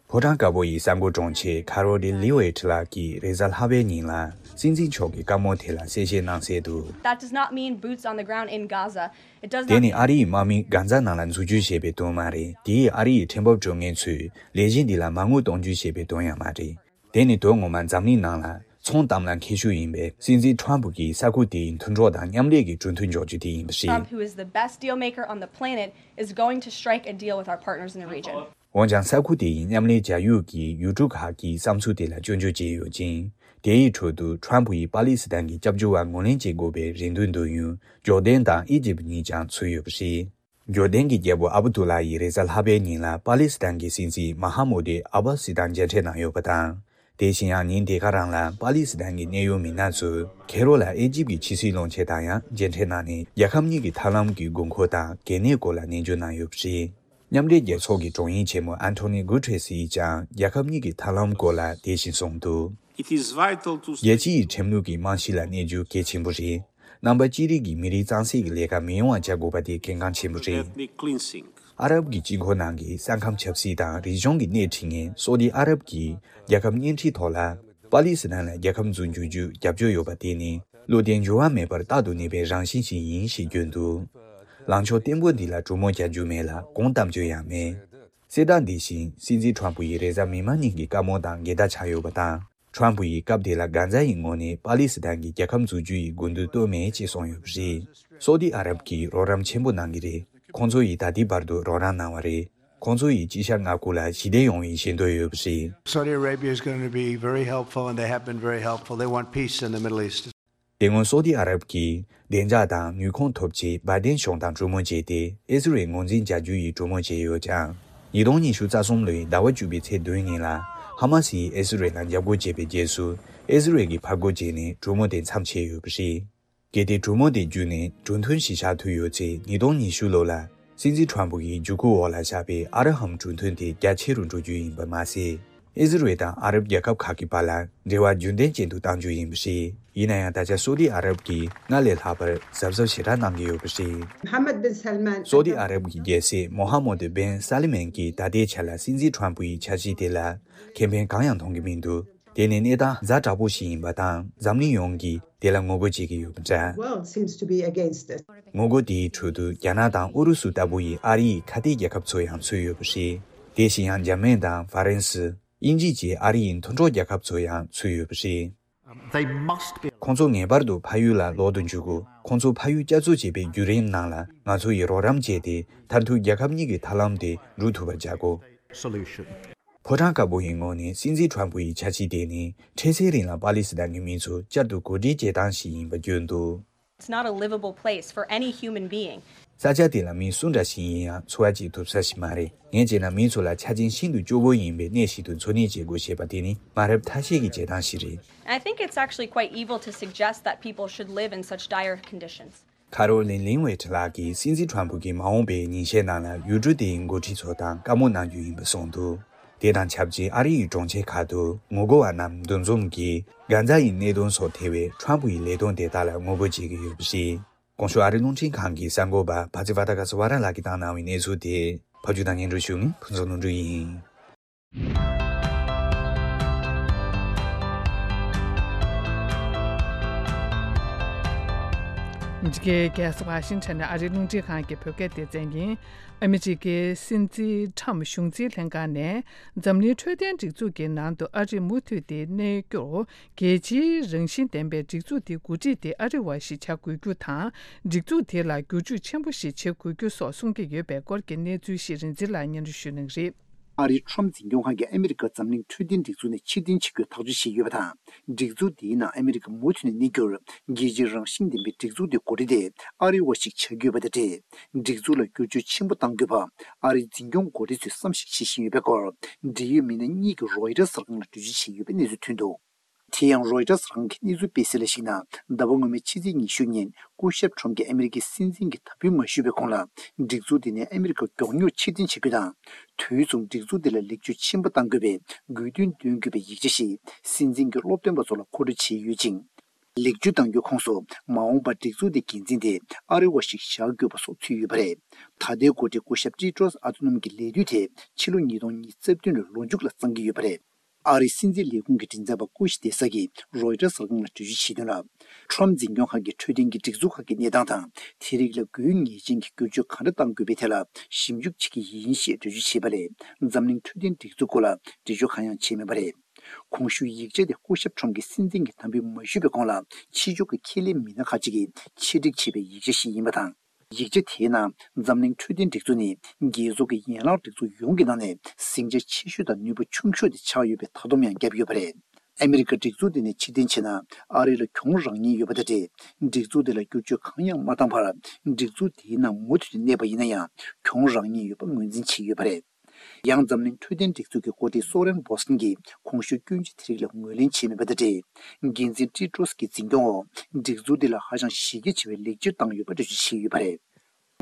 ཕོ་བྲང་དཀར་པོ་ཡི་གསར་འགོད་དྲུང་ཆེ་ཁ་རོ་ལི་ལི་ཝེ་ཊི་ལགས་ཀྱིས་རེས་གཟའ་ལྷག་པའི་ཉིན་ལ་སྲིད་འཛིན་མཆོག་གི་བཀའ་མོལ་དེ་ལ་གསལ་བཤད་གནང་གསལ་དུ། That does not mean boots on the ground in Gaza. It does དེ་not ནི་ཨ་རི་ཡི་དམག་མི་གྷ་ཛ་ནང་ལ་འཛུལ་རྒྱུ་ཞེས་པའི་དོན་མ་རེད། དེས་ཨ་རི་ཡི་ཁྲིམས་འབབ་སྤྲོད་མཁན་ཚོས་ལས་གཞི་འདི་ལ་མ་དངུལ་གཏོང་རྒྱུ་ཞེས་པའི་དོན་ཡང་མ་རེད། དེ་ནི་དོན་ངོ་མ་འཛམ་གླིང་ནང་ལ་ཚོང་གཏམ་ལ་མཁས་ཤོས་ཡིན་པའི་སྲིད་འཛིན་ཁྲོམ་ཕུ་གིས་ས་ཁུག་དེའི་མཐུན་གྲོགས་དང་མཉམ་ལས་ཀྱི་གྲོས་མཐུན་འཇོག་རྒྱུ་དེ་ཡིན་པ་རེད། Trump, who is the best deal maker on the planet, is going to strike a deal with our partners in the region. འོན་ཀྱང་ས་ཁུག་དེ་ཡི་མཉམ་ལས་བྱ་ཡུལ་གྱི་ཡུལ་གྲུ་ཁག་གི་བསམ་ཚུལ་དེ་ལ་སྐྱོན་བརྗོད་བྱས་ཡོད་ཅིང་། དེའི་ཁྲོད་དུ་ཁྲོམ་ཕུ་ཡིས་པ་ལི་སི་ཐན་གྱི་སྐྱབས་བཅོལ་བ་ངོས་ལེན་བྱེད་དགོས་པའི་རེ་འདུན་འདོན་ཡུལ་ཇོར་ཌན་དང་ཨི་ཇིབ་གཉིས་ཀྱང་ཚུད་ཡོད་པ་རེད། ཇོར་ཌན་གྱི་རྒྱལ་པོ་ཨ་བུ་དུ་ལ་ཡིས་རེས་གཟའ་ལྷག་པའི་ཉིན་ལ་པ་ལི་སི་ཐན་གྱི་སྲིད་འཛིན་མ་ཧ་མུ་ཏི་ཨ་བྷ་སི་དང་མཇལ་འཕྲད་གནང་ཡོད་པ་དང་། དེ་བཞིན་ཡང་ཉིན་དེ་ག་རང་ལ་པ་ལི་སི་ཐན་གྱི་གནད་ཡོད་མི་སྣ་ཚོས་ཁེ་རོ་ལ་ཨི་ཇིབ་ཀྱི་ཕྱི་སྲིད་བློན་ཆེན་དང་ཡང་མཇལ་འཕྲད་གནང་ནས། རྒྱལ་ཁབ་གཉིས་ཀྱི་ཐབས་ལམ་གྱི་དགོས་མཁོ་དང་གལ་གནད་སྐོར་ལ་ནན་བརྗོད་གནང་ཡོད་པ་རེད། མཉམ་འབྲེལ་རྒྱལ་ཚོགས་ཀྱི་དྲུང་ཡིག་ཆེན་མོ་ཨན་ཐོ་ནི་གུ་ཏྲེས་ཡིས་ཀྱང་རྒྱལ་ཁབ་གཉིས་ཀྱི་ཐབས་ལམ་སྐོར་ལ་དེ་བཞིན་གསུངས་འདུག It is vital to རྒྱལ་སྤྱི་ཡི་ཁྲིམས་ལུགས་ཀྱི་རྨང་གཞི་ལ་གནས་རྒྱུ་གལ་ཆེན་པོ་རེད། རྣམ་པ་གཅིག་རིགས་ཀྱི་མི་རིགས་གཙང་སེལ་གྱི་ལས་ཀ་མི་ཡོང་བ་བྱ་དགོས་པ་དེ་གལ་འགངས་ཆེན་པོ་རེད། Ethnic cleansing. ཨ་རབ་ཀྱི་དཀྱིལ་འཁོར་ནང་གི་ས་ཁམས་ཆབ་སྲིད་དང་རིག་གཞུང་གི་སྣེ་ཁྲིད་མཁན་སོ་ཏི་ཨ་རབ་ཀྱིས་རྒྱལ་ཁབ་གཉེན་སྒྲིག་ཐོག་ལ་པ་ལི་སི་ཐན་ལ་རྒྱལ་ཁབ་འཛུགས་འཇུག་རྒྱུ་རྒྱབ་སྐྱོར་ཡོད་པ་དེ་ནི་བློ་བརྟན་འགྱུར་བ་མེད་པར་རྟག་ཏུ་གནས་པའི་རང་བཞིན་ཞིག་ཡིན་ཞེས་བརྗོད་འདུག་ལངས་ཕྱོགས་བརྟན་པོ་འདི་ལ་གྲོས་མོལ་བྱ་རྒྱུ་མེད་ལ་དགོངས་དམ་བཅའ་ཡང་མེད། གསལ་བསྒྲགས་འདི་བཞིན་སྲིད་འཛིན་ཁྲོམ་ཕུ་ཡིས་རེས་གཟའ་མིག་དམར་ཉིན་གྱི་བཀའ་མོལ་དང་འགལ་ཟླ་ཆགས་ཡོད་པ་དང་། ཁྲོམ་ཕུ་ཡིས་སྐབས་དེ་ལ་གྷ་ཛ་ཡི་ངོས་ནས་པ་ལི་སི་ཐན་གྱི་རྒྱལ་ཁབ་འཛུགས་རྒྱུ་ཡི་དགོས་འདུན་བཏོན་མེད་ཅེས་གསུངས་ཡོད་པ་རེད། སོ་ཏི་ཨ་རབ་ཀྱིས་རོགས་རམ་ཆེན་པོ་གནང་གི་རེད། ཁོང་ཚོ་ཡིས་ད་ལྟའི་བར་དུ་རོགས་རམ་གནང་བ་རེད། ཁོང་ཚོ་ཡིས་དཀྱིལ་ཤར་མངའ་ཁུལ་ལ་ཞི་བདེ་ཡོང་བའི་ཞེ་འདོད་ཡོད་པ་རེད། Saudi Arabia is going to be very helpful, and they have been very helpful. They want peace in the Middle East. དེ་སྔོན་སོ་ཏི་ཨ་རབ་ཀྱིས་བདེ་འཇགས་དང་ནུས་ཁུངས་ཐོབ་ཆེད་བྷའི་ཏན་གཞུང་དང་གྲོས་མོལ་བྱས་ཏེ། ཨི་ཟི་རལ་ངོས་འཛིན་བྱ་རྒྱུ་ཡི་གྲོས་མོལ་བྱས་ཡོད་ཀྱང་། ཉིས་སྟོང་ཉི་ཤུ་རྩ་གསུམ་ལོའི་ཟླ་བ་བཅུ་པའི་ཚེས་བདུན་ཉིན་ལ་ཧ་མ་སི་ཡིས་ཨི་ཟི་རལ་ལ་འཇབ་རྒོལ་བྱས་པའི་རྗེས་སུ། ཨི་ཟི་རལ་གྱིས་ཕར་རྒོལ་བྱས་ནས་གྲོས་མོལ་དེ་མཚམས་ཆད་ཡོད་པ་རེད། གལ་ཏེ་གྲོས་མོལ་དེ་བརྒྱུད་ནས་གྲོས་མཐུན་ཞིག་བཞག་ཐུབ་ཡོད་ཚེ། ཉིས་སྟོང་ཉི་ཤུ་ལོ་ལ་སྲིད་འཛིན་ཁྲོམ་ཕུ་གི་བརྒྱུད་སྐུལ་འོག་ལ་བཞག་པའི་ཨ་ར་ཧམ་གྲོས་མཐུན་དེ་རྒྱ་ཆེ་རུ་འགྲོ་རྒྱུ་ཡིན་པ་མ་ཟད། ཨི་ཟི་རེལ་དང་ཨ་རབ་རྒྱལ་ཁབ་ཁག་གི་བར་ལ་འབྲེལ་བ་རྒྱུན་ལྡན་ཅན་དུ་གཏང་རྒྱུ་ཡིན་པ་རེད། ཡིན་ན་ཡང་། ད་ཆ་སོ་ཏི་ཨ་རབ་ཀྱིས་སྔར་ལས་ལྷག་པར་གཟབ་གཟབ་ཞེ་དྲག་གནང་གི་ཡོད་པ་རེད། Mohammed bin Salman སོ་ཏི་ཨ་རབ་ཀྱི་རྒྱལ་སྲས་མོ་ཧ་མོ་དུ་བན་ས་ལི་མན་གྱིས་ད་ལྟའི་ཆ་ལ་སྲིད་འཛིན་ཁྲོམ་ཕུའི་འཆར་གཞི་དེ་ལ་ཁེ་ཕན་གང་ཡང་མཐོང་གི་མི་འདུག་དེ་ནི་གནས་སྟངས་ཛ་དྲག་པོ་ཞིག་ཡིན་པ་དང་། འཛམ་གླིང་ཡོངས་ཀྱིས་དེ་ལ་ངོ་རྒོལ་བྱེད་ཀྱི་ཡོད་པ་འདྲ། World seems to be against it. ངོ་རྒོལ་དེའི་ཁྲོད་དུ་རྒྱ་ནག་དང་ཨུ་རུ་སུ་ལྟ་བུ་ཡི་ཨ་རི་ཡི་ཁ་གཏད་རྒྱལ་ཁབ་ཚོ་ཡང་ཚུད་ཡོད་པ་རེད། དེ་བཞིན་ཡང་འཇར་མན་དང་ཧྥ་རན་སི། དབྱིན་ཇི་བཅས་ཨ་རི་ཡི་མཐུན་གྲོགས་རྒྱལ་ཁབ་ཚོ་ཡང་ཚུད་ཡོད་པ་རེད། They must be. ཁོང་ཚོ་ངེས་པར་དུ་ཕ་ཡུལ་ལ་ལོག་ཏུ་འཇུག་དགོས། ཁོང་ཚོ་ཕ་ཡུལ་བསྐྱར་གསོ་བྱེད་པའི་བརྒྱུད་རིམ་ནང་ལ་ང་ཚོ་ཡིས་རོགས་རམ་བྱས་ཏེ། མཐར་ཐུག་རྒྱལ་ཁབ་གཉིས་ཀྱི་ཐབས་ལམ་དེ་འགྲུབ་ཐུབ་པར་བྱ་དགོས། Solution. ཕོ་བྲང་དཀར་པོ་ཡི་ངོས་ནས་སྲིད་འཛིན་ཁྲོམ་ཕུ་ཡི་འཆར་གཞི་དེ་ནི་འཕྲལ་སེལ་རིང་ལ་པ་ལི་སི་ཐན་གྱི་མི་ཚོ་བསྐྱར་དུ་འགོ་ཁྲིད་བྱེད་སྟངས་ཤིག་ཡིན་པ་བརྗོད་འདུག It's not a livable place for any human being. ས་ཆ་དེ་ལ་མི་སུ་འདྲ་ཞིག་ཡིན་ཡང་འཚོ་བ་སྐྱེལ་ཐུབ་ས་ཞིག་མ་རེད། ངས་བྱས་ན་མི་ཚོ་ལ་ཆ་རྐྱེན་ཤིན་ཏུ་སྐྱོ་བོ་ཡིན་པའི་གནས་ཤིག་ཏུ་འཚོ་གནས་བྱེད་དགོས་ཞེས་པ་དེ་ནི་མ་རབས་ཐ་ཤལ་གྱི་བྱེད་སྟངས་ཤིག་རེད། And I think it's actually quite evil to suggest that people should live in such dire conditions. ཁ་རོ་ལིན་ལིང་ཝེ་ཁྲི་ལགས་ཀྱིས་སྲིད་འཛིན་ཁྲོམ་ཕུ་གྱི་མ་འོངས་པའི་ཉིན་ཤས་ནང་ལ་ཡུལ་གྲུ་དེའི་འགོ་ཁྲིད་ཚོ་དང་བཀའ་མོལ་གནང་རྒྱུ་ཡིན་པ་གསུངས་འདུག་དེ་དང་ཆབས་ཅིག་ཨ་རི་ཡི་གྲོང་ཁྱེར་ཁག་ཏུ་ངོ་རྒོལ་བ་རྣམས་འདུ་འཛོམས་ཀྱིས་གྷན་ཛ་ཡི་གནད་དོན་སོགས་ཐེ་བའི་ཁྲོམ་ཕུ་ཡི་ལས་དོན་དེ་དག་ལ་ངོ་རྒོལ་བྱེད་ཀྱི་ཡོད་པ་རེད། གོང་ཞུས་ཨ་རི་རླུང་འཕྲིན་ཁང་གི་གསར་འགོད་པ་བྷ་ཛི་ཝ་ཏཱ་ག་ཟི་ཝ་ར་ལགས་ཀྱིས་བཏང་གནང་བའི་གནས་ཚུལ་དེ་ཕབ་སྒྱུར་དང་སྙན་སྒྲོན་ཞུ་མཁན་ཕུན་ཚོགས་ལྷུན་གྲུབ་ཡིན། འཇིགས་རྒྱལ་རྒྱལ་ས་ཝ་ཤིང་ཊོན་ནས་ཨ་རིའི་རླུང་འཕྲིན་ཁང་གི་བོད་སྐད་སྡེ་ཚན་ཡིན། ཨ་མི་རི་ཀའི་སྲིད་འཛིན་ཁྲམ་གཞུང་འཛིན་ལྷན་ཁང་ནས་འཛམ་གླིང་འཕྲོད་བསྟེན་སྒྲིག་འཛུགས་ཀྱི་ནང་དུ་ཨ་རི་མུ་མཐུད་དེ་གནས་རྒྱུར། རྒྱལ་སྤྱིའི་རང་བཞིན་ལྡན་པའི་སྒྲིག་འཛུགས་དེ་འགོ་ཁྲིད་དེ་ཨ་རི་བ་ཞིག་བྱ་དགོས་རྒྱུ་དང་། སྒྲིག་འཛུགས་དེ་ལ་བསྒྱུར་བཅོས་ཆེན་པོ་ཞིག་བྱེད་དགོས་རྒྱུ་སོགས་གསུང་གི་ཡོད་པའི་སྐོར་གྱི་གནས་ཚུལ་ཞིག་རིན་འཛིན་ལགས་སྙན་སྒྲོན་ཞུ་གནང་གི་རེད། ཨ་རིའི་ཁྲོམ་འཛིན་སྐྱོང་ཁང་གིས་ཨ་མི་རི་ཀ་འཛམ་གླིང་འཕྲོད་བསྟེན་སྒྲིག་འཛུགས་ནས་ཕྱིར་འཐེན་བྱེད་རྒྱུ་ཐག་གཅོད་བྱས་ཡོད་པ་དང་། སྒྲིག་འཛུགས་དེའི་ནང་ཨ་མི་རི་ཀ་མུ་མཐུད་ནས་གནས་རྒྱུར་རྒྱལ་སྤྱིའི་རང་བཞིན་ལྡན་པའི་སྒྲིག་འཛུགས་དེ་འགོ་ཁྲིད་དེ་ཨ་རི་བ་ཞིག་བྱ་རྒྱུ་ཡོད་པ་དང་འབྲེལ། སྒྲིག་འཛུགས་ལ་བསྒྱུར་བཅོས་ཆེན་པོ་གཏང་དགོས་པ་ཨ་རིའི་འཛིན་སྐྱོང་འགོ་ཁྲིད་ཚོས་བསམ་གཞིག་བྱེད་བཞིན་ཡོད་པའི་སྐོར་འབྲེལ་ཡོད་མི་སྣ་གཉིས་ཀྱིས་རོའི་ཊར་གསར་ཁང་ལ་འགྲེལ་བརྗོད་བྱས་ཡོད་པའི་གནས་ཚུལ་ཐོན་འདུག་དེ་ཡང་རོའི་ཊར་གསར་ཁང་གི་གནས་ཚུལ་སྤེལ་གསལ་ལ་གཞིགས་ན། ཟླ་བ་སྔོན་མའི་ཕྱི་ཚེས་ཉི་ཤུ་ཉིན་སྐུ་ཞབས་ཁྲོམ་གྱིས་ཨ་མི་རི་ཀའི་སྲིད་འཛིན་གྱི་དམ་འབུལ་མ་ཞུས་པའི་གོང་ལ། སྒྲིག་འཛུགས་དེ་ནས་ཨ་མི་རི་ཀ་མགྱོགས་མྱུར་ཕྱིར་འཐེན་བྱེད་རྒྱུ་དང་། དུས་མཚུངས་སྒྲིག་འཛུགས་དེ་ལ་ལེགས་བཅོས་ཆེན་པོ་གཏང་དགོས་པའི་དགོས་འདུན་འདོན་དགོས་པའི་ཡིག་ཆ་ཞིག་སྲིད་འཛིན་གྱི་སློབ་སྟོན་པ་ཚོ་ལ་མཁོ་སྤྲོད་བྱས་ཡོད་ཅིང་། ལེགས་བཅོས་གཏང་རྒྱུའི་ཁོངས་སུ་མ་འོངས་པར་སྒྲིག་འཛུགས་དེའི་འགན་འཛིན་དེ་ཨ་རི་བ་ཞིག་བཞག་དགོས་པ་སོགས་ཚུད་ཡོད་པ་རེད། ད་ལྟའི་འགོ་ཁྲིད་སྐུ་ཞབས་ཀྲི་ཏྲོས་ཨ་ཏོ་ནམ་གྱི་ལས་དུས་དེ་ཕྱི་ལོ་ཉིས་སྟོང་ཉི་ཤུ་རྩ་བདུན་ལོའི་ལོ་མཇུག་ལ་གཙང་གི་ཡོད་པ་རེད། ཨ་རིའི་སྲིད་འཛིན་ལས་ཁུངས་ཀྱི་མགྲིན་ཚབ་པ་སྐུ་ཞི་བདེ་ས་གིས་རོའི་ཊར་གསར་ཁང་ལ་འགྲེལ་བརྗོད་བྱས་དོན་ལ། ཁྲོམ་འཛིན་སྐྱོང་ཁང་གིས་འཕྲོད་བསྟེན་གྱི་སྒྲིག་འཛུགས་ཁག་གི་གནས་སྟངས་དང་། དེ་རིགས་ལ་དགོས་ངེས་ཅན་གྱི་བསྒྱུར་བཅོས་ག་འདྲ་གཏང་དགོས་པའི་ཐད་ལ་ཞིབ་འཇུག་བྱེད་ཀྱི་ཡིན་ཞེས་འགྲེལ་བརྗོད་བྱས་པ་ལས། འཛམ་གླིང་འཕྲོད་བསྟེན་སྒྲིག་འཛུགས་སྐོར་ལ་འགྲེལ་བརྗོད་གང་ཡང་བྱས་མེད་པ་རེད། གོང་ཞུས་ཡིག་ཆ་དེ་སྐུ་ཞབས་ཁྲོམ་གྱིས་སྲིད་འཛིན་གྱི་དམ་འབུལ་མ་ཞུས་པའི་གོང་ལ། ཕྱི་ཕྱོགས་ཀྱི་ཁས་ལེན་མི་སྣ་ཁག་ཅིག་གིས་ཆེད་སྒྲིག་བྱས་པའི་ཡིག་ཆ་ཞིག་ཡིན་པ་དང་། ཡིག་ཆ་དེའི་ནང་འཛམ་གླིང་འཕྲོད་བསྟེན་སྒྲིག་འཛུགས་ནི་རྒྱལ་ཚོགས་ཀྱི་ཡན་ལག་སྒྲིག་འཛུགས་ཡོངས་ཀྱི་ནང་ནས་ཟིང་ཆ་ཆེ་ཤོས་དང་ནུས་པ་ཆུང་ཤོས་དེ་ཆགས་ཡོད་པའི་མཐའ་སྡོམ་ཡང་བརྒྱབ་ཡོད་པ་རེད། ཨ་མི་རི་ཀ་སྒྲིག་འཛུགས་དེ་ནས་ཕྱིར་འཐེན་བྱས་ན། ཨ་རི་ལ་གྱོང་རག་ཉེན་ཡོད་པ་དང་འབྲེལ། སྒྲིག་འཛུགས་དེ་ལ་བསྒྱུར་བཅོས་གང་ཡང་མ་བཏང་བར། སྒྲིག་འཛུགས་དེའི་ནང་མུ་མཐུད་དུ་གནས་པ་ཡིན་ན་ཡང་། གྱོང་རག་ཉེན་ཡོད་པ་ངོས་འཛིན་བྱས་ཡོད་པ་རེད། ཡང་འཛམ་གླིང་འཕྲོད་བསྟེན་སྒྲིག་འཛུགས་ཀྱི་འགོ་ཁྲིད་སོ་རན་བོ་སན་གྱིས་གོང་ཞུས་སྐྱོན་བརྗོད་དེ་རིགས་ལ་ངོས་ལེན་བྱས་མེད་པ་དང་འབྲེལ། འགན་འཛིན་ཀྲི་ཏྲོས་ཀྱི་འཛིན་སྐྱོང་འོག་སྒྲིག་འཛུགས་འདི་ལ་ཧ་ཅང་གཞི་རྒྱ་ཆེ་བའི་ལེགས་བཅོས་བཏང་ཡོད་པ་འགྲེལ་བརྗོད་བྱས་ཡོད་པ་རེད།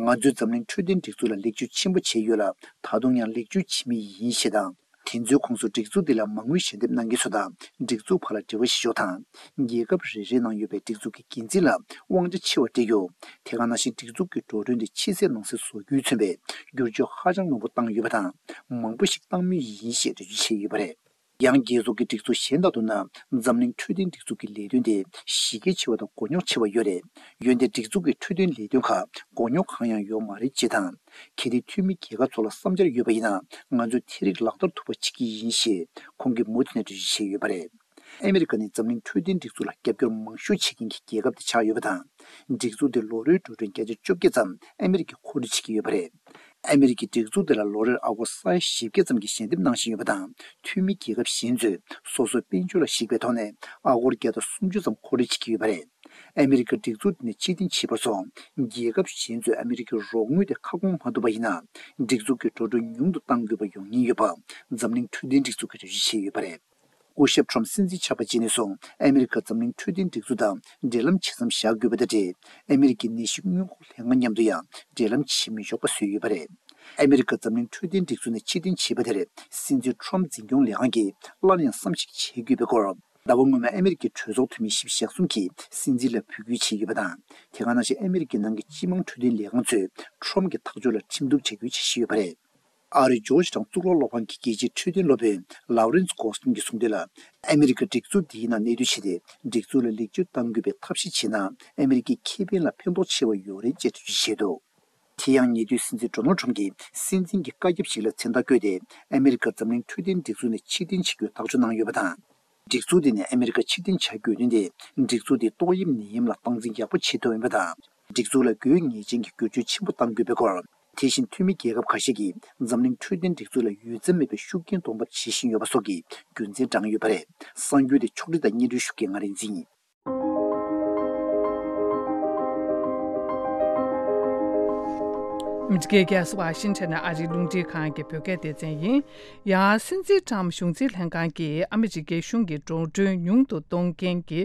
ང་ཚོས་འཛམ་གླིང་འཕྲོད་བསྟེན་སྒྲིག་འཛུགས་ལ་ལེགས་བཅོས་ཆེན་པོ་བྱས་ཡོད་ལ། ད་དུང་ཡང་ལེགས་བཅོས་བྱེད་མུས་ཡིན་ཞེས་དང་། དེ་ཚོའི་ཁོངས་སུ་སྒྲིག་འཛུགས་འདི་ལ་མ་དངུལ་ཞལ་འདེབས་གནང་མཁན་ཚོ་དང་། སྒྲིག་འཛུགས་བར་ལ་འབྲེལ་བ་བྱེད་ཕྱོགས་དང་། རྒྱལ་ཁབ་རེ་རེའི་ནང་ཡོད་པའི་སྒྲིག་འཛུགས་ཀྱི་འགན་འཛིན་ལ་དབང་ཆ་ཆེ་བ་སྤྲད་རྒྱུ། དེ་ག་ནང་བཞིན་སྒྲིག་འཛུགས་ཀྱི་འགྲོ་གྲོན་དེ་ཕྱི་གསལ་ནང་གསལ་བཟོ་རྒྱུའི་མཚོན་པའི་བསྒྱུར་བཅོས་ཧ་ཅང་མང་པོ་བཏང་ཡོད་པ་དང་། མང་པོ་ཞིག་བཏང་མུས་ཡིན་ཞེས་འགྲེལ་བརྗོད་བྱས་ཡོད་པ་རེད། ཡང་རྒྱལ་ཚོགས་ཀྱི་སྒྲིག་འཛུགས་གཞན་དག་ཏུ་ན། འཛམ་གླིང་འཕྲོད་བསྟེན་སྒྲིག་འཛུགས་ཀྱི་ལས་དོན་དེ་གཞི་རྒྱ་ཆེ་བ་དང་མགོ་རྙོག་ཆེ་བ་ཡོད་རེད། འོན་ཏེ་སྒྲིག་འཛུགས་ཀྱི་འཕྲོད་བསྟེན་ལས་དོན་ཁག་མགོ་རྙོག་གང་ཡང་ཡོད་མ་རེད་ཅེས་དང་། གལ་ཏེ་འཐུས་མི་རྒྱལ་ཁབ་ཚོ་ལ་བསམ་འཆར་ཡོད་པ་ཡིན་ན། ང་ཚོས་དེ་རིགས་ལག་བསྟར་ཐུབ་པ་བྱེད་ཀྱི་ཡིན་ཞེས་ཁོང་གིས་མུ་མཐུད་ནས་འགྲེལ་བརྗོད་བྱས་ཡོད་པ་རེད། ཨ་མི་རི་ཀ་ནི་འཛམ་གླིང་འཕྲོད་བསྟེན་སྒྲིག་འཛུགས་ལ་རྒྱབ་སྐྱོར་མང་ཤོས་བྱེད་མཁན་གྱི་རྒྱལ་ཁབ་དེ་ཆགས་ཡོད་པ་དང་། སྒྲིག་འཛུགས་དེ་ལོ་རེའི་འགྲོ་གྲོན་བརྒྱ་ཆ་བཅོ་བརྒྱད་ཙམ་ཨ་མི་རི་ཀས་མཁོ་སྤྲོད་བྱེད་ཀྱི་ཡོད་པ་རེད། ཨ་མི་རི་ཀའི་སྒྲིག་འཛུགས་དེ་ལ་ལོ་རེར་ཨ་སྒོར་ས་ཡ་བཞི་བརྒྱ་ཙམ་གྱི་ཞལ་འདེབས་གནང་བཞིན་ཡོད་པ་དང་། འཐུས་མི་རྒྱལ་ཁབ་གཞན་ཚོས་སོ་སོའི་དཔལ་འབྱོར་ལ་གཞིགས་པའི་ཐོག་ནས་ཨ་སྒོར་བརྒྱ་དང་སུམ་ཅུ་ཙམ་མཁོ་སྤྲོད་བྱེད་ཀྱི་ཡོད་པ་རེད། ཨ་མི་རི་ཀའི་སྒྲིག་འཛུགས་དེ་ནས་ཕྱིར་འཐེན་བྱས་པ་སོགས་རྒྱལ་ཁབ་གཞན་ཚོས་ཨ་མི་རི་ཀའི་རོགས་དངུལ་དེ་ཁ་སྐོང་མ་ཐུབ་པ་ཡིན་ན། སྒྲིག་འཛུགས་ཀྱི་འགྲོ་གྲོན་ཉུང་དུ་གཏང་དགོས་པ་ཡོང་ཉེན་ཡོད་པ་འཛམ་གླིང་འཕྲོད་བསྟེན་སྒྲིག་འཛུགས་ཀྱིས་འགྲེལ་བརྗོད་བྱས་ཡོད་པ་རེད། སྐུ་ཞབས་ཁྲོམ་སྲིད་འཛིན་ཆགས་པ་རྗེས་ནས་བཟུང་ཨ་མི་རི་ཀ་འཛམ་གླིང་འཕྲོད་བསྟེན་སྒྲིག་འཛུགས་དང་འབྲེལ་ལམ་ཇི་ཙམ་བཞག་དགོས་པ་དང་འབྲེལ། ཨ་མི་རི་ཀའི་ནད་གཞི་སྔོན་འགོག་ལྷན་ཁང་མཉམ་དུ་ཡང་འབྲེལ་ལམ་བྱེད་མི་ཆོག་པ་བཟོས་ཡོད་པ་རེད། ཨ་མི་རི་ཀ་འཛམ་གླིང་འཕྲོད་བསྟེན་སྒྲིག་འཛུགས་ནས་ཕྱིར་འཐེན་བྱས་པ་དེར་སྲིད་འཛིན་ཁྲོམ་འཛིན་སྐྱོང་ལས་ཁང་གིས་སླར་ཡང་བསམ་གཞིག་བྱེད་དགོས་པའི་སྐོར། ཟླ་བ་སྔོན་མ་ཨ་མི་རི་ཀའི་གྲོས་ཚོགས་འཐུས་མི་བཞི་བཅུ་ཞེ་གསུམ་གྱིས་སྲིད་འཛིན་ལ་འབོད་སྐུལ་བྱས་ཡོད་པ་དང་། དེ་ག་ནང་བཞིན་ཨ་མི་རི་ཀའི་ནང་གི་སྤྱི་དམངས་འཕྲོད་བསྟེན་ལས་ཁང་ཚོས་ཁྲོམ་གྱི་ཐག་གཅོད་ལ་ཁྲིམས་གཏུག་བྱ་རྒྱུའི་འཆར་གཞི་ཡོད་པ་རེད། ཨ་རིའི་ཇོརྗ་ཊའུན་གཙུག་ལག་སློབ་ཁང་གི་རྒྱལ་སྤྱིའི་འཕྲོད་བསྟེན་སློབ་དཔོན་ལའུ་རན་སི་གོ་སྟིན་གྱིས་གསུངས་དོན་ལ། ཨ་མི་རི་ཀ་སྒྲིག་འཛུགས་འདིའི་ནང་གནས་སྡོད་བྱས་ཏེ། སྒྲིག་འཛུགས་ལ་ལེགས་བཅོས་གཏང་དགོས་པའི་ཐབས་ཤེས་བྱས་ན། ཨ་མི་རི་ཀའི་ཁེ་ཕན་ལ་ཕན་ཐོགས་ཆེ་བ་ཡོད་རེད་ཅེས་འགྲེལ་བརྗོད་བྱས་འདུག་དེ་ཡང་ཉེ་དུས་སྲིད་འཛིན་ཌོ་ནལ་ཁྲོམ་གྱིས་སྲིད་འཛིན་གྱི་བཀའ་ཁྱབ་ཞིག་ལ་མཚན་རྟགས་བཀོད་དེ། ཨ་མི་རི་ཀ་འཛམ་གླིང་འཕྲོད་བསྟེན་སྒྲིག་འཛུགས་ནས་ཕྱིར་འཐེན་བྱེད་རྒྱུའི་ཐག་གཅོད་གནང་ཡོད་པ་དང་། སྒྲིག་འཛུགས་དེ་ནས་ཨ་མི་རི་ཀ་ཕྱིར་འཐེན་བྱ་དགོས་དོན་དེ། སྒྲིག་འཛུགས་དེའི་ཏོག་དབྱིབས་ནད་ཡམས་ལ་སྟངས་འཛིན་ཡག་པོ་བྱེད་ཐུབ་ཡིན་པ་དང་། སྒྲིག་འཛུགས་ལ་དགོས་ངེས་ཅན་གྱི་བསྒྱུར་བཅོས་ཆེན་པོ་གཏང་དགོས་པའི་སྐོར། དེ་བཞིན་འཐུས་མི་རྒྱལ་ཁབ་ཁ་ཤས་ཀྱིས་འཛམ་གླིང་འཕྲོད་བསྟེན་སྒྲིག་འཛུགས་ལ་ཡོད་ཚད་མེད་པའི་ཤུགས་རྐྱེན་གཏོང་ཐབས་བྱེད་བཞིན་ཡོད་པ་སོགས་ཀྱི་རྒྱུ་མཚན་བགྲངས་ཡོད་པ་རེད། གསར་འགྱུར་དེ་ཕྱོགས་སྒྲིག་དང་སྙན་སྒྲོན་ཞུ་མཁན་ང་རིག་འཛིན་ཡིན། ཨ་མི་རི་ཀའི་རྒྱལ་ས་ཝ་ཤིང་ཊོན་ནས་ཨ་རིའི་རླུང་འཕྲིན་ཁང་གི་བོད་སྐད་སྡེ་ཚན་ཡིན། ཡང་སྲིད་འཛིན་ཊམ་གཞུང་འཛིན་ལྷན་ཁང་གིས་ཨ་མི་རི་ཀའི་གཞུང་གི་འགྲོ་གྲོན་ཉུང་དུ་གཏོང་མཁན་གྱི་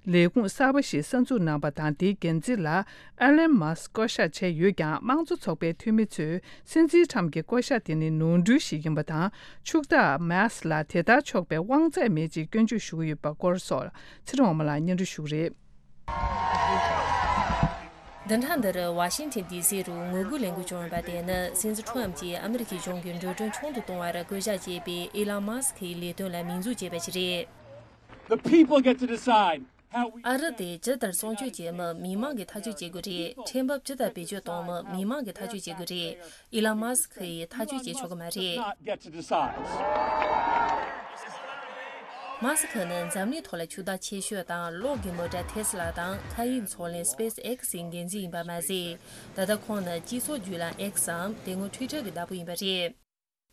ལས་ཁུངས་གསར་པ་ཞིག་གསར་འཛུགས་གནང་བ་དང་། དེའི་འགན་འཛིན་ལ་ཨེ་ལན་མཱ་སི་བསྐོ་བཞག་བྱས་ཡོད་ཀྱང་། དམངས་གཙོ་ཚོགས་པའི་འཐུས་མི་ཚོས་སྲིད་འཛིན་ཊམ་གྱི་བསྐོ་བཞག་དེ་ནི་ནོར་འཁྲུལ་ཞིག་ཡིན་པ་དང་། ཕྱུག་བདག་མཱ་སི་ལ་དེ་ལྟར་ཆོག་པའི་དབང་ཚད་མེད་ཅེས་སྐྱོན་བརྗོད་ཞུ་གི་ཡོད་པའི་སྐོར་སོགས་ཚེ་རིང་དབང་མོ་ལགས་སྙན་སྒྲོན་ཞུ་གི་རེད། བདུན་ཕྲག་འདིར་ཝ་ཤིང་ཊོན་ཌི་སི་རུ་ངོ་རྒོལ་ལས་འགུལ་བྱུང་ཡོད་པ་དེ་ནི་སྲིད་འཛིན་ཁྲོམ་གྱིས་ཨ་མི་རི་ཀའི་གཞུང་གི་འགྲོ་གྲོན་ཆུང་དུ་གཏོང་བར་བསྐོ་བཞག་བྱས་པའི་ཨི་ལོན་མཱ་སི་ཁིའི་ལས་དོན་ལ་མིང་འཛུགས་བྱས་པ་ཞིག་རེད། The people get to decide how we ཨ་རི་དེ་ཇི་ལྟར་སྲུང་སྐྱོབ་བྱེད་མིན་མི་མང་གིས་ཐག་གཅོད་བྱེད་དགོས་རེད། ཁྲལ་འབབ་ཇི་ལྟར་བེད་སྤྱོད་གཏོང་མིན་མི་མང་གིས་ཐག་གཅོད་བྱེད་དགོས་རེད། ཨི་ལོན་མཱ་སི་ཁི་ཡིས་ཐག་གཅོད་བྱེད་ཆོག་གི་མ་རེད། Not get to decide. མཱ་སི་ཁི་ནི་འཛམ་གླིང་ཐོག་ལ་ཕྱུག་བདག་ཆེ་ཤོས་དང་གློག་གི་མོ་ཊ་ཐེ་སི་ལ་དང་མཁའ་དབྱིངས་མཚོ་གླིང་སི་པེ་སི་ཨེག་སི་ཡི་འགན་འཛིན་ཡིན་པ་མ་ཟད། ད་ལྟ་ཁོང་ནི་སྤྱི་ཚོགས་བརྒྱུད་ལམ་ཨེག་སམ་དེ་སྔོན་ཊུའི་ཊར་གྱི་བདག་པོ་ཡིན་པ་རེད།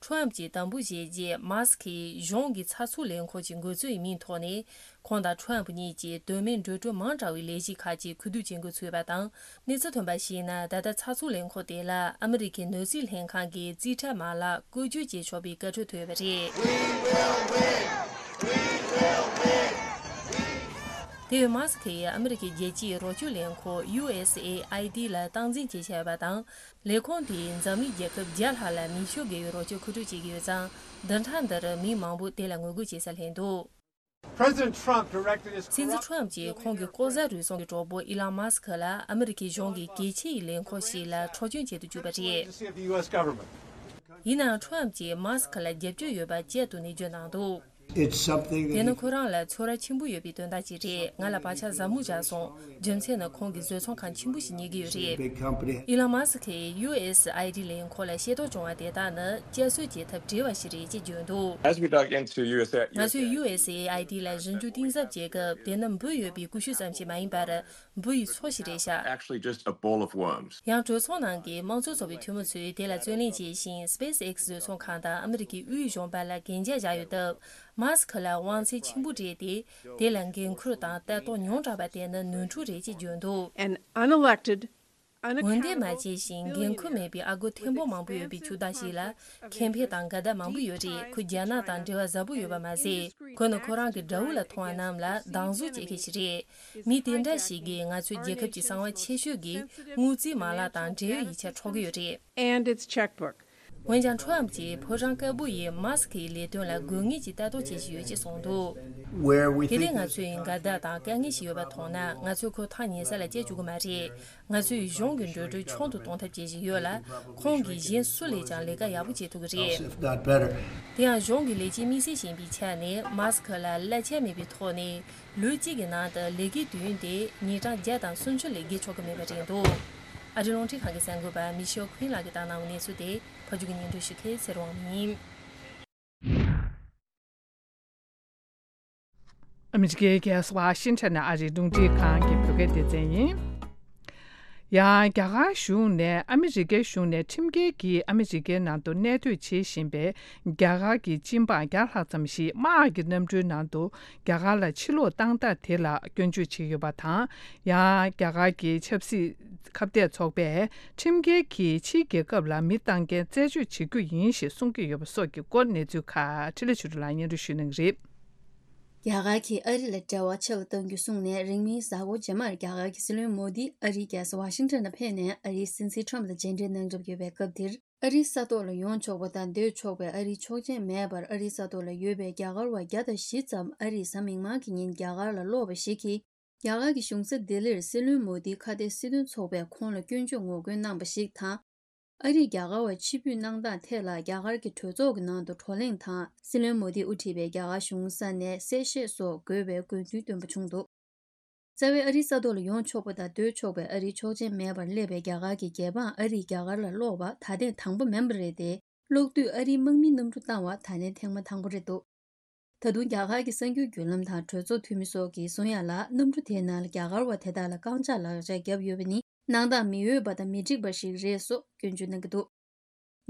ཁྲོམ་གྱིས་དམ་འབུལ་བཞེས་རྗེས། མཱ་སི་ཁིས་གཞུང་གི་ཚགས་ཚུད་ལས་ཁུངས་ཀྱི་འགོ་གཙོའི་མིང་ཐོག་ནས། ཁོང་དང་ཁྲོམ་གཉིས་ཀྱིས་དོན་མེད་འགྲོ་གྲོན་མང་དྲགས་པའི་ལས་གཞི་ཁག་ཅིག་ཁུ་བསྡུ་བྱེད་འགོ་ཚུགས་པ་དང་། གནས་ཚུལ་ཐོན་པར་གཞིགས་ན། ད་ལྟ་ཚགས་ཚུད་ལས་ཁུངས་དེ་ལ་ཨ་མི་རི་ཀའི་ནོར་སྲིད་ལྷན་ཁང་གིས་རྩིས་ཁྲ་མ་ལག་བཀོལ་སྤྱོད་བྱེད་ཆོག་པའི་བཀའ་འཁྲོལ་ཐོབ་ཡོད་པ་རེད། དེ་བས་མཱ་སི་ཁིས་ཨ་མི་རི་ཀའི་རྒྱལ་སྤྱིའི་རོགས་སྐྱོར་ལས་ཁུངས་ཡུ་ཨེ་སི་ཨེ་ཨའི་ཌི་ལ་སྟངས་འཛིན་བྱེད་བཞིན་ཡོད་པ་དང་། ལས་ཁུངས་དེས་འཛམ་གླིང་རྒྱལ་ཁབ་བརྒྱ་ལྷག་ལ་མི་ཤུགས་བརྒལ་བའི་རོགས་སྐྱོར་མཁོ་སྤྲོད་བྱེད་ཀྱི་ཡོད་ཙང་། བདུན་ཕྲག་འདིར་མི་མང་པོ་དེ་ལ་ངོ་རྒོལ་བྱེད་ས་སླེབས་འདུག President Trump directed his སྲིད་འཛིན་ཁྲོམ་གྱིས་ཁོང་གི་ལྐོག་ཟ་རུལ་སུངས་ཀྱི་གྲོགས་པོ་ཨི་ལོན་མཱ་སི་ཁི་ལ་ཨ་མི་རི་ཀའི་གཞུང་གི་གལ་ཆེ་བའི་ལས་ཁུངས་ཤིག་ལ་འཕྲོག་བཅོམ་བྱེད་དུ་བཅུག་པ་རེད། Agency of the U S government. ཡིན་ནའང་ཁྲོམ་གྱིས་མཱ་སི་ཁི་ལ་རྒྱབ་སྐྱོར་ཡོད་པ་བཅད་དུ་ནས་བརྗོད་གནང་འདུག It's something དེ་ནི་ཁོ་རང་ལ་ཚོར་བ་ཆེན་པོ་ཡོད་པའི་དོན་དག་ཅིག་རེད། ང་ལ་བག་ཆགས་ཟབ་མོ་བཞག་སོང་། རྒྱུ་མཚན་ནི་ཁོང་གིས་བཟོ་ཚོང་ཁང་ཆེན་པོ་ཞིག་གཉེར་གྱི་ཡོད་རེད། Big company. ཨི་ལོན་མཱ་སི་ཁིས་ཡུ་ཨེ་སི་ཨའི་ཌི་ལས་ཁུངས་ལ་ཤེས་རྟོགས་བྱུང་བ་དེ་དག་ནི་བསྐྱར་གསོ་བྱེད་ཐབས་བྲལ་བ་ཞིག་རེད་ཅེས་བརྗོད་འདུག As we dug into U S A, ང་ཚོས་ཡུ་ཨེ་སི་ཨའི་ཌི་ལ་ཞིབ་འཇུག་གཏིང་ཟབ་བྱེད་སྐབས། དེ་ནི་འབུ་ཡོད་པའི་ཀུ་ཤུ་ཙམ་ཞིག་མ་ཡིན་པར། འབུ་ཡི་ཚོགས་ཤིག་རེད་ཤག Actually, just a bowl of worms. ཡང་གྲོས་ཚོགས་ནང་གི་དམངས་གཙོ་ཚོགས་པའི་འཐུས་མི་ཚོས་དེ་ལ་རྩོད་ལེན་བྱས་ཤིང་། སི་པེ་སི་ཨེག་སི་བཟོ་ཚོང་ཁང་དང་ཨ་མི་རི་ཀའི་དབུས་གཞུང་བར་ལ་གན་རྒྱ་བཞག་ཡོད་སྟབས། མཱ་སི་ཁི་ལ་དབང་ཚད་ཆེན་པོ་སྤྲད་དེ། དེ་ལ་འགན་འཁུར་དང་ལྟ་རྟོག་ཉུང་དྲགས་པ་དེ་ནི་ནོར་འཁྲུལ་རེད་ཅེས་བརྗོད་འདུག An unelected, འོས་འདེམས་མ་བྱས་ཤིང་འགན་འཁུར་མེད་པའི་ཨ་སྒོར་ཐེར་འབུམ་མང་པོ་ཡོད་པའི་ཕྱུག་བདག་ཞིག་ལ་ཁེ་ཕན་དང་འགལ་ཟླ་མང་པོ་ཡོད་རེད། ཁོས་རྒྱ་ནག་དང་འབྲེལ་བ་ཟབ་པོ་ཡོད་པ་མ་ཟད། ཁོ་ནི་ཁོ་རང་གི་དགྲ་བོ་ལ་མཐོང་བ་རྣམས་ལ་སྡང་ཟུག་བྱེད་མཁན་ཞིག་རེད། མི་དེ་འདྲ་ཞིག་གིས་ང་ཚོའི་རྒྱལ་ཁབ་ཀྱི་གསང་བ་ཆེ་ཤོས་ཀྱི་དངུལ་རྩིས་མ་ལག་དང་འབྲེལ་ཡོད་ཡིག་ཆ་འཕྲོག་གི་ཡོད་རེད། And its checkbook. འོན་ཀྱང་ཁྲོམ་གྱིས་ཕོ་བྲང་དཀར་པོ་ཡིས་མཱ་སི་ཁིའི་ལས་དོན་ལ་དགོས་ངེས་ཀྱི་ལྟ་རྟོག་བྱེད་བཞིན་ཡོད་ཅེས་གསུངས་འདུག Where we དེ་ལས་ང་ཚོས་འགལ་ཟླ་དང་དཀའ་ངལ་ཞིག་ཡོད་པ་མཐོང་ན། ང་ཚོས་ཁོ་ཐག་ཉེ་ས་ལ་བསྐྱལ་བཅུག་གི་མ་རེད། ང་ཚོས་གཞུང་གི་འགྲོ་གྲོན་ཆུང་དུ་གཏོང་ཐབས་བྱེད་བཞིན་ཡོད་ལ། ཁོང་གིས་གཞན་སུ་ལས་ཀྱང་ལས་ཀ་ཡག་པོ་བྱེད་ཐུབ་ཀྱི་རེད། If not better. དེ་ཡང་གཞུང་གི་ལས་བྱེད་དམིགས་བསལ་ཞིག་ཡིན་པའི་ཆ་ནས། མཱ་སི་ཁི་ལ་གླ་ཆ་མེད་པའི་ཐོག་ནས་ལོ་གཅིག་གི་ནང་དུ་ལས་ཀའི་དུས་ཡུན་དེ་ཉིན་གྲངས་བརྒྱ་དང་སུམ་ཅུ་ལས་བརྒལ་ཆོག་གི་མེད་པ་རེད་འདུག་ཨ་རིའི་རླུང་འཕྲིན་ཁང་གི་གསར་འགོད་པ་མི་ཤེལ་ཁུན་ལགས་ཀྱིས་བཏང་གནང་བའི་གནས་ཚུལ་དེ། ཕབ་སྒྱུར་གྱིས་སྙན་སྒྲོན་ཞུ་མཁན་ཚེ་རིང་དབང་མོ་ཡིན། ཨ་མི་རི་ཀའི་རྒྱལ་ས་ཝ་ཤིང་ཊོན་ནས་ཨ་རིའི་རླུང་འཕྲིན་ཁང་གི་བོད་སྐད་སྡེ་ཚན་ཡིན། ཡང་རྒྱ་གར་གཞུང་ནས། ཨ་མི་རི་ཀའི་གཞུང་ནས་ཁྲིམས་འགལ་གྱིས་ཨ་མི་རི་ཀའི་ནང་དུ་གནས་སྡོད་བྱེད་བཞིན་པའི་རྒྱ་གར་གྱི་སྤྱི་འབངས་བརྒྱ་ལྷག་ཙམ་ཞིག་དམག་གི་གནམ་གྲུའི་ནང་དུ་རྒྱ་གར་ལ་ཕྱིར་ལོག་བཏང་སྟངས་དེ་ལ་སྐྱོན་བརྗོད་བྱས་ཡོད་པ་དང་། ཡང་རྒྱ་གར་གྱི་ཆབ་སྲིད་ཁ་གཏད་ཚོགས་པས་ཁྲིམས་འགལ་གྱིས་ཕྱིའི་རྒྱལ་ཁབ་ལ་མི་བཏང་མཁན་རྩད་གཅོད་བྱེད་རྒྱུ་ཡིན་ཞེས་གསུང་གི་ཡོད་པ་སོགས་ཀྱི་སྐོར་གནས་ཚུལ་ཁག་འཕྲིན་ལས་ཆོས་སྒྲོན་ལགས་སྙན་སྒྲོན་ཞུ་གནང་གི་རེད། རྒྱ་གར་གྱིས་ཨ་རི་ལ་འབྲེལ་བ་ཆེ་རུ་གཏང་རྒྱུ་གསུངས་ནས། རིང་མིན་གཟའ་འཁོར་རྗེས་མར་རྒྱ་གར་གྱི་སྲིད་བློན་མོ་དི་ཨ་རིའི་རྒྱལ་ས་ཝ་ཤིང་ཊོན་ལ་ཕེབས་ནས་ཨ་རིའི་སྲིད་འཛིན་ཁྲོམ་དང་མཇལ་འཕྲད་གནང་གྲབས་ཡོད་པའི་སྐབས་འདིར། ཨ་རིའི་ས་ཐོག་ལ་ཡོང་ཆོག་པ་དང་སྡོད་ཆོག་པའི་ཨ་རིའི་ཆོག་མཆན་མེད་པར། ཨ་རིའི་ས་ཐོག་ལ་ཡོད་པའི་རྒྱ་གར་བ་བརྒྱ་དང་བཞི་ཙམ་ཨ་རིས་གཟའ་མིག་དམར་གྱི་ཉིན་རྒྱ་གར་ལ་སློག་པ་ཞིག་གིས། རྒྱ་གར་གྱི་གཞུང་ས་ལྡི་ལིར་སྲིད་བློན་མོ་དིའི་ཁ་གཏད་སྲིད་དོན་ཚོགས་པས་ཁོང་ལ་སྐྱོན་བརྗོད་ངོ་རྒོལ་གནང་བ་ཞིག་དང་། ཨ་རིས་རྒྱ་གར་བ་ཕྱིར་འབུད་གནང་སྟངས་ཐད་ལ་རྒྱ་གར་གྱི་གྲོས་ཚོགས་ཀྱི་ནང་དུ་བགྲོ་གླེང་དང་། སྲིད་བློན་མོ་དིས་དབུ་ཁྲིད་པའི་རྒྱ་གར་གཞུང་ས་ནས་གསལ་བཤད་སོགས་དགོས་པའི་དགོས་འདུན་བཏོན་པ་བྱུང་འདུག། རྩ་བའི་ཨ་རིའི་ས་ཐོག་ལ་ཡོང་ཆོག་པ་དང་སྡོད་ཆོག་པའི་ཨ་རིའི་ཆོག་མཆན་མེད་པར་སླེབས་པའི་རྒྱ་གར་གྱི་རྒྱལ་འབངས་ཨ་རིས་རྒྱ་གར་ལ་སློག་པ་ད་ཐེངས་དང་པོ་མིན་པ་རེད་དེ། སློག་དུས་ཨ་རིའི་དམག་མིས་གནམ་གྲུ་བཏང་བ་ད་ལན་ཐེངས་མ་དང་པོ་རེད་འདུག། ད་དུང་རྒྱ་གར་གྱི་གསར་འགྱུར་བརྒྱུད་ལམ་དང་གྲོས་ཚོགས་འཐུས་མི་སོགས་ཀྱིས་གསུང་ཡ་ལ། གནམ་གྲུ་དེའི་ནང་ལ་རྒྱ་གར་བ་དེ་དག་ལ་རྐང་ལྕགས་ལག་ཆ་བརྒྱབ་ཡོད་པ་ནི་གནང་སྟངས་མི་འོས་པ་དང་མི་འགྲིག་པ་ཞིག་རེད་སོགས་སྐྱོན་བརྗོད་གནང་གི་འདུག།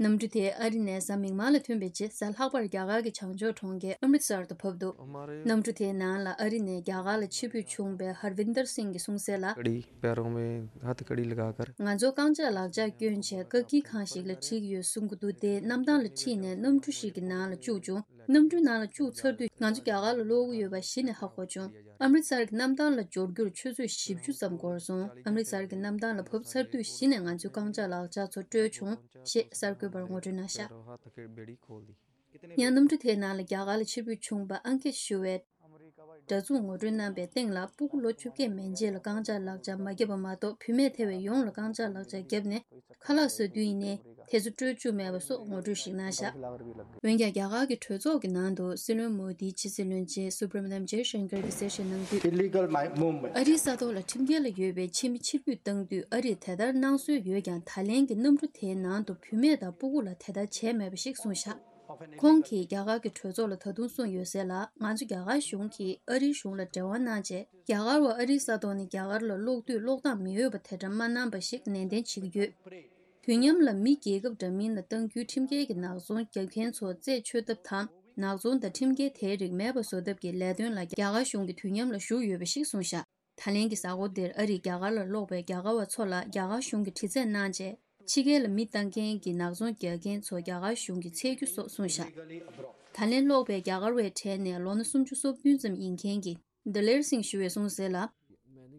གནམ་གྲུ་དེ་ཨ་རི་ནས་གཟའ་མིག་དམར་ལ་ཐོན་པའི་རྗེས། གཟའ་ལྷག་པར་རྒྱ་གར་གྱི་བྱང་ཕྱོགས་གྲོང་ཁྱེར་ཨམ་རིད་སར་དུ་བབས་འདུག། གནམ་གྲུ་དེའི་ནང་ལ་ཨ་རི་ནས་རྒྱ་གར་ལ་ཕྱིར་འབུད་བྱུང་བའི་ཧར་བིན་དར་སིང་གིས་གསུངས་གསལ་ལ། कड़ी, पैरों में हथकड़ी लगाकर। ང་ཚོ་རྐང་ལྕགས་ལག་ལྕགས་བསྐྱོན་བྱས་བཀག་སྐྱིལ་ཁང་ཞིག་ལ་ཁྲིད་ཡོད་གསུང་གི་འདུག་སྟེ། གནམ་ཐང་ལ་ཁྲིད་ནས་གནམ་གྲུ་ཞིག་གི་ནང་ལ་བཅུག་བྱུང་། གནམ་གྲུའི་ནང་ལ་བཅུག་ཚར་དུས་ང་ཚོ་རྒྱ་གར་ལ་སློག་གི་ཡོད་པ་གཞི་ནས་ཧ་གོ་བྱུང་། ཨམ་རིད་སར་གྱི་གནམ་ཐང་ལ་འབྱོར་རྒྱུར་ཆུ་ཚོད་བཞི་བཅུ་ཙམ་འགོར་སོང་། ཨམ་རིད་སར་གྱི་གནམ་ཐང་ལ་བབས་ཚར་དུས་གཞི་ནས་ང་ཚོའི་རྐང་ལྕགས་ལག་ལྕགས་ཚོ་སྤྲོད་བྱུང་ཞེས་གསར་འགོད་པར་ངོ་སྤྲོད་གནང་བཞག། ཡང་གནམ་གྲུ་དེའི་ནང་ལ་རྒྱ་གར་ལ་ཕྱིར་འབུད་བྱུང་བ་ཨང་ཀེད་ཞུ་བའི་འདྲ་མཚུངས་ངོ་སྤྲོད་གནང་པའི་སྟེང་ལ། སྤུ་གུ་ལོ་བཅོ་བརྒྱད་མན་ཆད་ལ་རྐང་ལྕགས་ལག་ལྕགས་མ་བརྒྱབ་པ་མ་གཏོགས། བུད་མེད་ཐེ་བའི་ཡོངས་ལ་རྐང་ལྕགས་ལག་ལྕགས་བརྒྱབ་ནས་ཁ་ལག་ཟ་དུས་ཡིན་ནའི་དེ་ཚོ་སྤྲོད་བཅུག་མེད་པ་སོགས་ངོ་སྤྲོད་ཞིག་གནང་བཞག། འོན་ཀྱང་རྒྱ་གར་གྱི་གྲོས་ཚོགས་ཀྱི་ནང་དུ་སྲིད་བློན་མོ་དིའི་ཕྱི་སྲིད་བློན་ཆེན་སུབ་ར་མ་ནམ་ཇེ་ཤང་ཀར་གྱིས་གསལ་བཤད་གནང་དུས། Illegal mi- movement. ཨ་རིའི་ས་ཐོག་ལ་ཁྲིམས་འགལ་ལ་ཡོད་པའི་ཕྱི་མི་ཕྱིར་འབུད་བཏང་དུས་ཨ་རིས་དེ་ལྟར་གནང་སྲོལ་ཡོད་ཀྱང་། ད་ལན་གྱི་གནམ་གྲུ་དེའི་ནང་དུ་བུད་མེད་དང་སྤུ་གུ་ལ་དེ་ལྟར་བྱས་མེད་པ་ཞིག་གསུངས་བཞག། ཁོང་གིས་རྒྱ་གར་གྱི་གྲོས་ཚོགས་ལ་ད་དུང་གསུངས་ཡོད་གསལ་ལ། ང་ཚོ་རྒྱ་གར་གཞུང་གིས་ཨ་རིའི་གཞུང་ལ་འབྲེལ་བ་གནང་རྗེས། རྒྱ་གར་བ་ཨ་རིའི་ས་ཐོག་ནས་རྒྱ་གར་ལ་སློག་དུས་སློག་སྟངས་མི་འོས་པ་དེ་འདྲ་མ་གནང་པ་ཞིག་ནན་ཏན་བྱེད་ཀྱི་ཡོད། དུས་མཉམ་ལ་མི་རྒྱལ་ཁབ་འདྲ་མིན་ལ་གཏང་རྒྱུའི་ཁྲིམས་འགལ་གྱི་ནག་ཚོང་རྒྱག་མཁན་ཚོ་རྩད་ཆོད་ཐབས་དང་། ནག་ཚོང་དང་ཁྲིམས་འགལ་དེའི་རིགས་མེད་པ་བཟོ་ཐབས་ཀྱི་ལས་དོན་ལ་རྒྱ་གར་གཞུང་གིས་དུས་མཉམ་ལ་ཞུགས་ཡོད་པ་ཞིག་གསུངས་བཞག། ད་ལན་གྱི་གཟའ་འཁོར་འདིར་ཨ་རིས་རྒྱ་གར་ལ་སློག་པའི་རྒྱ་གར་བ་ཚོ་ལ་རྒྱ་གར་གཞུང་གིས་དྲི་རྩད་གནང་རྗེས། ཕྱི་རྒྱལ་ལ་མི་གཏང་མཁན་གྱི་ནག་ཚོང་རྒྱག་མཁན་ཚོ་རྒྱ་གར་གཞུང་གིས་འཚོལ་རྒྱུ་སོགས་གསུངས་བཞག། ད་ལན་སློག་པའི་རྒྱ་གར་བའི་གྲས་ནས་ལོ་ན་སུམ་ཅུ་སོ་བདུན་ཙམ་ཡིན་མཁན་གྱི་དི་ལེར་སིང་ཞུ་བས་གསུངས་གསལ་ལ།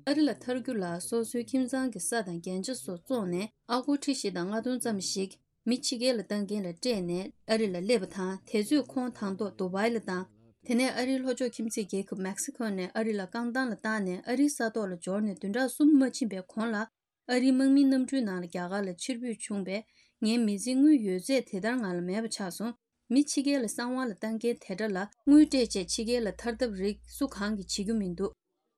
ཨ་རི་ལ་ཐར་རྒྱུ་ལ་སོ་སོའི་ཁྱིམ་ཚང་གི་ས་དང་རྒྱན་ཆ་སོགས་བཙོངས་ནས། ཨ་སྒོར་ཁྲི་བཞི་དང་ལྔ་སྟོང་ཙམ་ཞིག་མི་ཕྱི་རྒྱལ་ལ་གཏང་མཁན་ལ་སྤྲད་ནས་ཨ་རི་ལ་སླེབས་པ་དང་། དེ་ཚོས་ཁོང་དང་ཐོག་དུ་བྷའི་ལ་བཏང་། དེ་ནས་ཨ་རིའི་ལྷོ་ཕྱོགས་ཁྱིམ་མཚེས་རྒྱལ་ཁབ་མེག་སི་ཁོ་ནས་ཨ་རི་ལ་རྐང་ཐང་ལ་བཏང་ནས། ཨ་རིའི་ས་ཐོག་ལ་འབྱོར་ནས་བདུན་ཕྲག་གསུམ་མ་ཕྱིན་པའི་གོང་ལ། ཨ་རིའི་དམག་མིའི་གནམ་གྲུའི་ནང་ལ་རྒྱ་གར་ལ་ཕྱིར་འབུད་བྱུང་བས། ངའི་མི་ཚེའི་དངུལ་ཡོད་ཚད་དེ་ལྟར་ང་ལ་མེད་པ་ཆགས་སོང་། མི་ཕྱི་རྒྱལ་ལ་གསང་བ་ལ་བཏང་མཁན་དེ་འདྲ་ལ་དངུལ་སྤྲད་བྱས་ཕྱི་རྒྱལ་ལ་ཐར་ཐབས་རིགས་སུ་གང་གིས་བྱེད་རྒྱུ་མི་འདུག།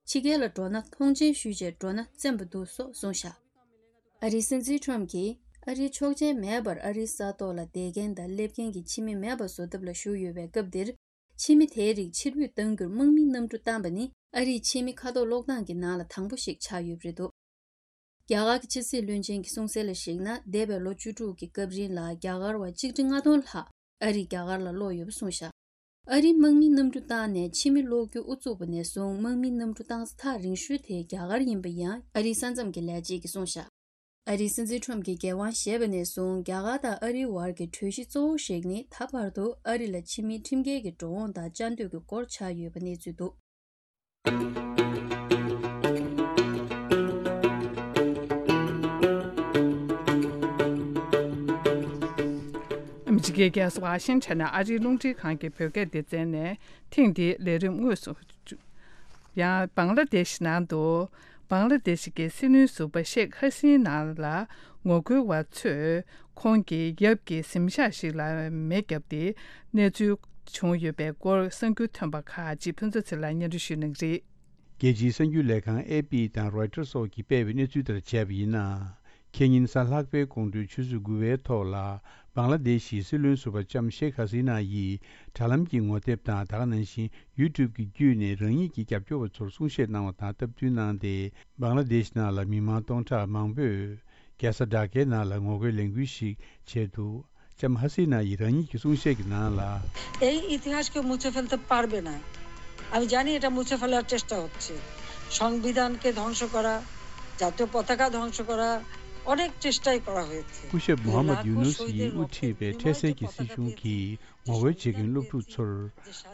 ཕྱི་རྒྱལ་ལ་འགྲོ་ན་མཐོང་མཆན་ཞུས་བྱས་འགྲོ་ན་བཙན་པོ་འདུག་སོགས་གསུངས་བཞག། ཨ་རིའི་སྲིད་འཛིན་ཁྲོམ་གྱིས་ཨ་རིའི་ཆོག་མཆན་མེད་པར་ཨ་རིའི་ས་ཐོག་ལ་བསྡད་མཁན་དང་སླེབས་མཁན་གྱི་ཕྱི་མི་མེད་པ་བཟོ་ཐབས་ལ་ཞུགས་ཡོད་པའི་སྐབས་འདིར། ཕྱི་མི་དེའི་རིགས་ཕྱིར་འབུད་གཏང་རྒྱུར་དམག་མིའི་གནམ་གྲུ་བཏང་པ་ནི་ཨ་རིའི་ཕྱི་མི་མཁའ་ཐོག་གློག་ཐང་གི་ནང་ལ་དང་པོ་ཞིག་ཆགས་ཡོད་པ་རེད་འདུག། རྒྱ་གར་གྱི་ཕྱི་སྲིད་བློན་ཆེན་གྱིས་གསུངས་གསལ་ལ་གཞིགས་ན། འདས་པའི་ལོ་བཅུ་དྲུག་གི་སྐབས་རིང་ལ་རྒྱ་གར་བ་ཆིག་ཁྲི་ལྔ་སྟོང་ལྷག་ཨ་རིས་རྒྱ་གར་ལ་སློག་ཡོད་པ་གསུངས་བཞག། ཨ་རིའི་དམག་མིའི་གནམ་གྲུ་བཏང་ནས་ཕྱི་མི་སློག་རྒྱུ་དབུ་བཙུགས་པ་ནས་བཟུང་། དམག་མིའི་གནམ་གྲུ་བཏང་ས་ཐག་རིང་ཤོས་དེ་རྒྱ་གར་ཡིན་པ་ཡང་ཨ་རིའི་ས་མཚམས་ཀྱི་ལས་བྱེད་ཀྱིས་གསུངས་བཞག། ཨ་རིའི་སྲིད་འཛིན་ཁྲོམ་གྱིས་འགན་དབང་བཞེས་པ་ནས་བཟུང་རྒྱ་གར་དང་ཨ་རིའི་བར་གྱི་གྲོས་གཞི་གཙོ་བོ་ཞིག་ནི། ད་བར་དུ་ཨ་རི་ལ་ཕྱི་མིའི་ཁྲིམས་འགལ་གྱི་འགྲོ་འོང་དང་བཅའ་སྡོད་ཀྱི་སྐོར་ཆགས་ཡོད་པ་གནས་ཚུལ་འདུག། ཨ་མི་རི་ཀའི་རྒྱལ་ས་ཝ་ཤིང་ཊོན་ནས་ཨ་རིའི་རླུང་འཕྲིན་ཁང་གི་བོད་སྐད་སྡེ་ཚན་ནས་ཐེངས་འདིའི་ལས་རིམ་དངོས་སུ། ཡང་བང་ལ་དེ་ཤི་ནང་དུ། བང་ལ་དེ་ཤི་གི་སྲིད་བློན་ཟུར་པ་ཤེག་ཧ་སིན་ན་ལ་ངོ་རྒོལ་བ་ཚོས་ཁོང་གི་ཡབ་ཀྱི་གཟིམ་ཤག་ཞིག་ལ་མེ་བརྒྱབ་སྟེ་གནས་ཚུལ་བྱུང་ཡོད་པའི་སྐོར་གསར་འགྱུར་ཐོན་པ་ཁག་ཅིག་ཕུན་ཚོགས་ཚེ་ལགས་སྙན་སྒྲོན་ཞུ་གནང་གི་རེད། རྒྱལ་སྤྱིའི་གསར་འགྱུར་ལས་ཁང་ཨེ་པི་དང་རོའི་ཊར་སོགས་ཀྱིས་སྤེལ་བའི་གནས་ཚུལ་ལྟར་བྱས་པ་ཡིན་ན། ཁེ་ཉིན་གཟའ་ལྷག་པའི་དགོང་དྲོའི་ཆུ་ཚོད་དགུ་པའི་ཐོག་ལ། བང་ལ་དེ་ཤི་སྲིད་བློན་ཟུར་པ་ལྕམ་ཤེག་ཧ་སི་ན་ཡིས་དྲ་ལམ་གྱི་ངོ་དེབ་དང་། ད་ག་ནང་བཞིན་ཡུ་ཊུབ་ཀྱི་བརྒྱུད་ནས་རང་ཉིད་ཀྱི་རྒྱབ་སྐྱོར་བ་ཚོར་གསུང་བཤད་གནང་བ་དང་སྟབས་བསྟུན་གནང་སྟེ། བང་ལ་དེ་ཤི་ནང་ལ་མི་མང་སྟོང་ཕྲག་མང་པོས་རྒྱལ་ས་ཌ་ཀའི་ནང་ལ་ངོ་རྒོལ་ལས་འགུལ་ཞིག་བྱས་འདུག། ལྕམ་ཧ་སི་ན་ཡིས་རང་ཉིད་ཀྱི་གསུང་བཤད་ཀྱི་ནང་ལ། এই ইতিহাসকে মুছে ফেলতে পারবে না। আমি জানি এটা মুছে ফেলার চেষ্টা হচ্ছে। সংবিধানকে ধ্বংস করা, জাতীয় পতাকা ধ্বংস করা, অনেক চেষ্টাই করা হয়েছে। སྐུ་ཞབས་མོ་ཧམ་མད་ཡུ་ནུ་སི་ཡིས་དབུ་ཁྲིད་པའི་འཕྲལ་སེལ་གྱི་སྲིད་གཞུང་གིས་ངོ་རྒོལ་བྱེད་མཁན་སློབ་ཕྲུག་ཚོར།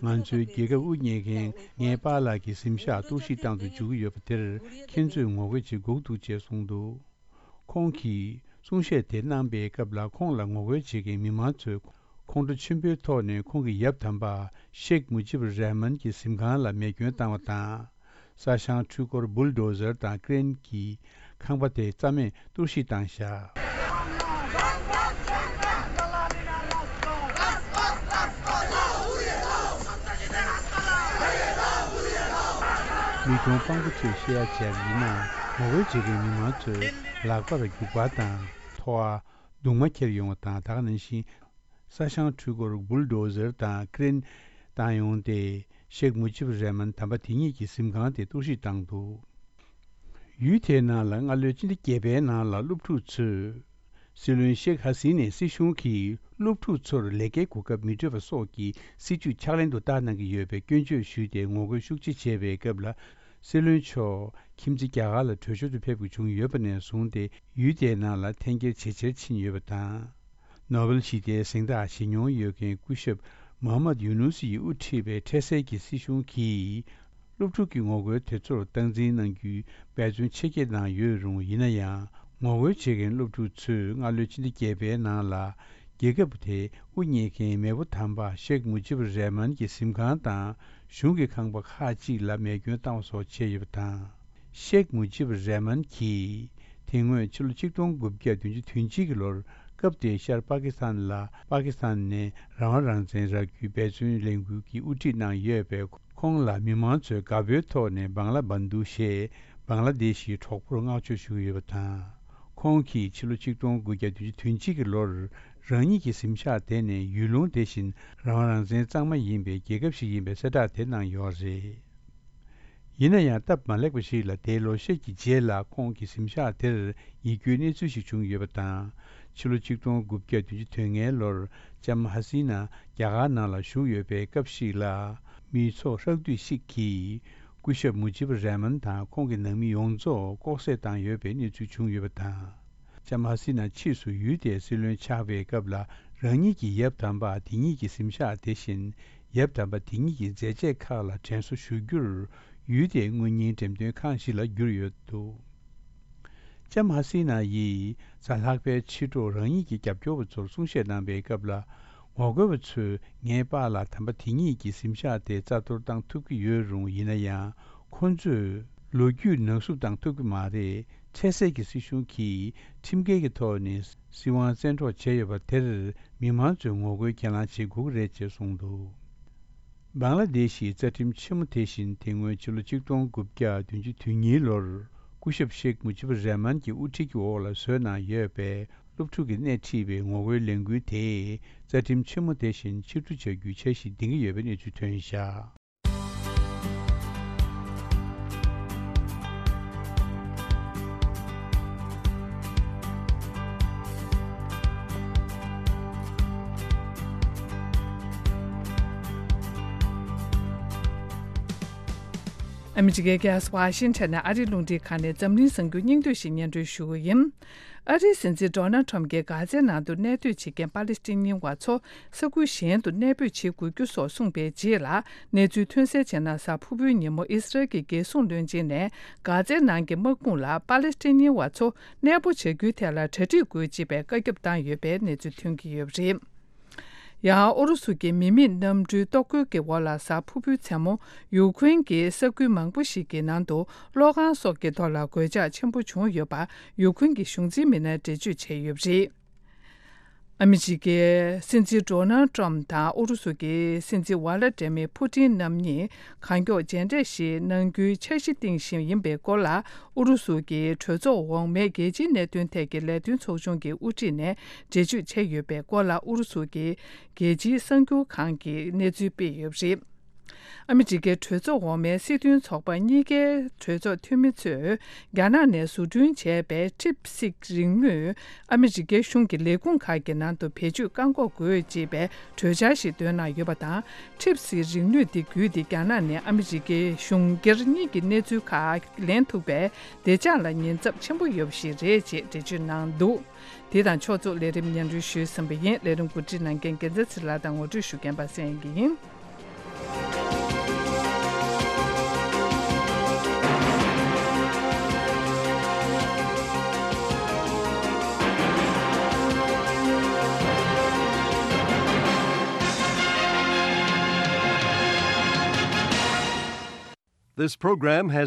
ང་ཚོའི་རྒྱལ་ཁབ་དབུ་བརྙེས་མཁན་ངའི་པཱ་ལགས་ཀྱི་གཟིམ་ཤག་གཏོར་བཤིག་བཏང་དུ་འཇུག་གི་ཡོད་པ་དེར་ཁྱེད་ཚོས་ངོ་རྒོལ་བྱེད་དགོས་འདུག་ཅེས་གསུངས་འདུག། ཁོང་གིས་གསུང་བཤད་དེ་གནང་པའི་སྐབས་ལ། ཁོང་ལ་ངོ་རྒོལ་བྱེད་མཁན་མི་མང་ཚོས་ཁོང་ཁྲོ་ཆེན་པོའི་ཐོག་ནས་ཁོང་གི་ཡབ་དམ་པ་ཤེག་མུ་ཇིབ་རེ་མན་གྱི་གཟིམ་ཁང་ལ་མེ་སྐྱོན་བཏང་བ་དང་། ས་ཞིང་འཕྲུལ་འཁོར་བུལ་ཌོ་ཟར་དང་ཀི་རེན་གྱིས་ཁང་པ་དེ་རྩ་མེད་གཏོར་བཤིག་བཏང་བཞག། མི་གྲངས་དཔང་པོ་ཚོས་བཤད་ཡ་བྱས་པ་ཡིན་ན། ངོ་རྒོལ་བྱེད་མཁན་མི་མང་ཚོས་ལག་པར་རྒྱུག་པ་དང་ཐོ་བ་གདུང་མ་འཁྱེར་ཡོང་བ་དང་། ད་ག་ནང་བཞིན་ས་ཞིང་འཕྲུལ་འཁོར་བུལ་ཌོ་ཟར་དང་ཀི་རེན་བཏང་ཡོང་སྟེ། ཤེག་མུ་ཇིབ་རེ་མན་དམ་པ་དེ་ཉིད་ཀྱི་གཟིམ་ཁང་དེ་གཏོར་བཤིག་བཏང་འདུག། ཡུལ་དེའི་ནང་ལ་སྔ་ལོའི་ཕྱི་ཟླ་བརྒྱད་པའི་ནང་ལ་སློབ་ཕྲུག་ཚོས། སྲིད་བློན་ཤེག་ཧ་སི་ནའི་སྲིད་གཞུང་གིས་སློབ་ཕྲུག་ཚོར་ལས་ཀའི་གོ་སྐབས་མི་སྤྲོད་པ་སོགས་ཀྱི་སྲིད་ཇུས་ཕྱག་ལེན་དུ་བསྟར་གནང་གི་ཡོད་པའི་སྐྱོན་བརྗོད་ཞུས་ཏེ། ངོ་རྒོལ་ཤུགས་ཆེ་བྱས་པའི་སྐབས་ལ། སྲིད་བློན་མཆོག་ཁྱིམ་མཚེས་རྒྱ་གར་ལ་གྲོས་ཞིབ་ཏུ་ཕེབས་དགོས་བྱུང་ཡོད་པ་ནས་བཟུང་སྟེ། ཡུལ་དེའི་ནང་ལ་འཐེན་འཁྱེར་ཇེ་ཆེར་ཕྱིན་ཡོད་པ་དང་། ནོ་བེལ་ཞི་བདེའི་གཟེངས་རྟགས་བཞེས་མྱོང་ཡོད་མཁན་སྐུ་ཞབས་མོ་ཧམ་མད་ཡུ་ནུ་སི་ཡིས་དབུ་ཁྲིད་པའི་འཕྲལ་སེལ་གྱི་སྲིད་གཞུང་གིས། སློབ་ཕྲུག་གི་ངོ་རྒོལ་དེ་ཚོར་སྟངས་འཛིན་གནང་རྒྱུའི་འབད་བརྩོན་ཆེ་བསྐྱེད་གནང་ཡོད་རུང་། ཡིན་ན་ཡང་ངོ་རྒོལ་བྱེད་མཁན་སློབ་ཕྲུག་ཚོས་སྔ་ལོའི་ཕྱི་ཟླ་བརྒྱད་པའི་ནང་ལ། རྒྱལ་ཁབ་དེའི་དབུ་བརྙེས་མཁན་མེས་པོ་དམ་པ་ཤེག་མུ་ཇིབ་རེ་མན་གྱི་གཟིམ་ཁང་དང་གཞུང་གི་ཁང་པ་ཁག་ཅིག་ལ་མེ་སྐྱོན་བཏང་བ་སོགས་བྱས་ཡོད་པ་དང་། ཤེག་མུ་ཇིབ་རེ་མན་གྱིས་དེ་སྔོན་ཕྱི་ལོ་ཆིག་སྟོང་དགུ་བརྒྱ་བདུན་ཅུ་དོན་གཅིག་གི་ལོར། སྐབས་དེའི་ཤར་པ་ཀི་སི་ཐན་ལ། པ་ཀི་སི་ཐན་ནས་རང་དབང་རང་བཙན་རག་རྒྱུའི་འབད་བརྩོན་ལས་འགུལ་གྱི་དབུ་ཁྲིད་གནང་ཡོད་པས། ཁོང་ལ་མི་མང་ཚོས་དགའ་པོའི་ཐོག་ནས་བང་ལ་བན་དུ་ཞེས་བང་ལ་དེ་ཤིའི་གྲོགས་པོར་བསྔགས་བརྗོད་ཞུ་གི་ཡོད་པ་དང་། ཁོང་གིས་ཕྱི་ལོ་ཆིག་སྟོང་དགུ་བརྒྱ་བདུན་ཅུ་དོན་གཅིག་གི་ལོར། རང་ཉིད་ཀྱི་གཟིམ་ཤག་དེ་ནི་ཡུལ་ལུང་དེ་བཞིན་རང་དབང་རང་བཙན་གཙང་མ་ཡིན་པའི་རྒྱལ་ཁབ་ཞིག་ཡིན་པའི་གསལ་བསྒྲགས་དེ་གནང་ཡོད་རེད། ཡིན་ན་ཡང་། སྟབས་མ་ལེགས་པ་ཞིག་ལ། དེའི་ལོ་ཤས་ཀྱི་རྗེས་ལ་ཁོང་གི་གཟིམ་ཤག་དེར་ཡིད་སྐྱོའི་གནས་ཚུལ་ཞིག་བྱུང་ཡོད་པ་དང་། ཕྱི་ལོ་ཆིག་སྟོང་དགུ་བརྒྱ་བདུན་ཅུ་དོན་ལྔའི་ལོར། ལྕམ་ཧ་སི་ན་རྒྱ་གར་ནང་ལ་བཞུགས་ཡོད་པའི་སྐབས་ཤིག་ལ། མི་ཚོགས་ཧྲག་བསྡུས་ཤིག་གིས་སྐུ་ཞབས་མུ་ཇིབ་རེ་མན་དང་ཁོང་གི་ནང་མི་ཡོངས་རྫོགས་ལྐོག་བསད་བཏང་ཡོད་པའི་གནས་ཚུལ་བྱུང་ཡོད་པ་དང་། ལྕམ་ཧ་སི་ན་ཕྱིས་སུ་ཡུལ་དེའི་སྲིད་བློན་ཆགས་པའི་སྐབས་ལ། རང་ཉིད་ཀྱི་ཡབ་དམ་པ་དེ་ཉིད་ཀྱི་གཟིམ་ཤག་དེ་བཞིན། ཡབ་དམ་པ་དེ་ཉིད་ཀྱི་མཛད་རྗེས་ཁག་ལ་དྲན་གསོ་ཞུ་རྒྱུར། ཡུལ་དེའི་དངུལ་རྙིང་འགྲེམས་སྟོན་ཁང་ཞིག་ལ་བསྒྱུར་ཡོད་འདུག། ལྕམ་ཧ་སི་ན་ཡིས་གཟའ་ལྷག་པའི་ཕྱི་དྲོ་རང་ཉིད་ཀྱི་རྒྱབ་སྐྱོར་བ་ཚོར་གསུང་བཤད་གནང་པའི་སྐབས་ལ། ངོ་རྒོལ་བ་ཚོས་ངའི་པཱ་ལགས་དམ་པ་དེ་ཉིད་ཀྱི་གཟིམ་ཤག་དེ་རྩ་གཏོར་བཏང་ཐུབ་ཀྱི་ཡོད་རུང་། ཡིན་ན་ཡང་། ཁོ་ཚོས་ལོ་རྒྱུས་ནག་བསུབ་བཏང་ཐུབ་ཀྱི་མ་རེད། འཕྲལ་སེལ་གྱི་སྲིད་གཞུང་གིས་ཁྲིམས་འགལ་གྱི་ཐོག་ནས་སྲིད་དབང་བཙན་འཕྲོག་བྱས་ཡོད་པ་དེར། མི་མང་ཚོས་ངོ་རྒོལ་གྱེན་ལངས་བྱེད་དགོས་ཀྱི་རེད་ཅེས་གསུངས་འདུག། བང་ལ་དེ་ཤིའི་རྩ་ཁྲིམས་ཆེན་མོ་དེ་བཞིན། དེ་སྔོན་ཕྱི་ལོ་ཆིག་སྟོང་དགུ་བརྒྱ་བདུན་ཅུ་དོན་གཉིས་ལོར། སྐུ་ཞབས་ཤེག་མུ་ཇིབ་རེ་མན་གྱི་དབུ་ཁྲིད་ཀྱི་འོག་ལ་བཟོས་གནང་ཡོད་པའི་སློབ་ཕྲུག་གིས་སྣེ་ཁྲིད་པའི་ངོ་རྒོལ་ལས་འགུལ་དེས། རྩ་ཁྲིམས་ཆེན་མོ་དེ་བཞིན་ཕྱིར་བསྡུ་བྱ་རྒྱུའི་འཆར་གཞི་འདིང་གི་ཡོད་པའི་གནས་ཚུལ་ཐོན་བཞག། ཨ་མི་རི་ཀའི་རྒྱལ་ས་ཝ་ཤིང་ཊོན་ནས་ཨ་རིའི་རླུང་འཕྲིན་ཁང་ནས་འཛམ་གླིང་གསར་འགྱུར་སྙིང་བསྡུས་ཤིག་སྙན་སྒྲོན་ཞུ་གི་ཡིན། ཨ་རིའི་སྲིད་འཛིན་ཌོ་ནལ་ཁྲམ་གྱིས་གྷ་ཛའི་ནང་དུ་གནས་སྡོད་བྱེད་མཁན་པ་ལི་སི་ཐན་ཉི་བ་ཚོ་ས་ཁུལ་གཞན་དུ་གནས་སྤོས་བྱེད་དགོས་རྒྱུ་སོགས་གསུངས་པའི་རྗེས་ལ། གནས་ཚུལ་ཐོན་གསལ་བྱས་ན། གཟའ་ཕུར་བུའི་ཉིན་མོ་ཨི་སི་རལ་གྱི་རྒྱལ་སྲུང་བློན་ཆེན་ནས་གྷ་ཛའི་ནང་གི་དམག་དཔུང་ལ་པ་ལི་སི་ཐན་ཉི་བ་ཚོ་གནས་སྤོ་བྱ་རྒྱུའི་ཐད་ལ་གྲ་སྒྲིག་དགོས་ཅེས་པའི་བཀའ་ཁྱབ་བཏང་ཡོད་པའི་གནས་ཚུལ་ཐོན་གྱི་ཡོད་པ་རེད། ཡང་ཨུ་རུ་སུ་གྱི་མི་མེད་གནམ་གྲུའི་གཏོར་རྒོལ་གྱི་འོག་ལ་གཟའ་ཕུར་བུའི་མཚན་མོ་ཡུ་ཁུ་རེན་གྱི་ས་ཁུལ་མང་པོ་ཞིག་གི་ནང་དུ་གློག་ཁང་སོགས་ཀྱི་ཐོག་ལ་གོད་ཆག་ཆེན་པོ་བྱུང་ཡོད་པ་ཡུ་ཁུ་རེན་གྱི་གཞུང་འཛིན་མི་སྣས་འགྲེལ་བརྗོད་བྱས་ཡོད་པ་རེད། ཨ་མི་རི་ཀའི་སྲིད་འཛིན་ཌོ་ནལ་ཏྲམ་དང་ཨུ་རུ་སུ་གྱི་སྲིད་འཛིན་ཝ་ལ་ཏྲེ་མི་ཕུ་ཏིན་རྣམ་གཉིས་གང་མགྱོགས་མཇལ་འཕྲད་ཞིག་གནང་རྒྱུའི་འཆར་གཞི་བཏིང་བཞིན་ཡིན་པའི་སྐོར་ལ། ཨུ་རུ་སུ་གྱི་གྲོས་ཚོགས་འོག་མའི་རྒྱལ་སྤྱིའི་གནད་དོན་ཐད་ཀྱི་ལས་དོན་ཚོགས་ཆུང་གི་དབུ་ཁྲིད་ནས་འགྲེལ་བརྗོད་བྱས་ཡོད་པའི་སྐོར་ལ། ཨུ་རུ་སུ་གྱི་རྒྱལ་སྤྱིའི་གསར་འགྱུར་ཁང་གིས་གནས་ཚུལ་སྤེལ་ཡོད་པ་རེད། ཨ་མི་རི་ཀའི་གྲོས་ཚོགས་འོག་མའི་སྲིད་དོན་ཚོགས་པ་གཉིས་ཀའི་གྲོས་ཚོགས་འཐུས་མི་ཚོས་རྒྱ་ནག་ནས་བཟོ་སྐྲུན་བྱས་པའི་ཊིབ་སིག་རིག་དངོས། ཨ་མི་རི་ཀའི་གཞུང་གི་ལས་ཁུངས་ཁག་གི་ནང་དུ་བེད་སྤྱོད་བཀག་འགོག་དགོས་ཅེས་པའི་གྲོས་འཆར་ཞིག་བཏོན་གནང་ཡོད་པ་དང་། ཊིབ་སིག་རིག་དངོས་འདི་བརྒྱུད་དེ་རྒྱ་ནག་ནས་ཨ་མི་རི་ཀའི་གཞུང་སྒེར་གཉིས་ཀྱི་གནས་ཚུལ་ཁག་ལེན་ཐུབ་པའི་བདེ་འཇགས་ལ་ཉེན་ཚབས་ཆེན་པོ་ཡོད་པ་ཞིག་རེད་ཅེས་འགྲེལ་བརྗོད་གནང་འདུག་དེ་དང་ཕྱོགས་མཚུངས་ལས་རིམ་སྙན་སྒྲོན་ཞུས་ཟིན་པ་ཡིན། ལས་རིམ་གོ་སྒྲིག་གནང་མཁན་རྒྱལ་མཚན་ཚེ་རིང་ལགས་དང་ངོ་སྤྲོད་ཞུ་མཁན་པ་སངས་དབྱངས་སྐྱིད་ཡིན། This program has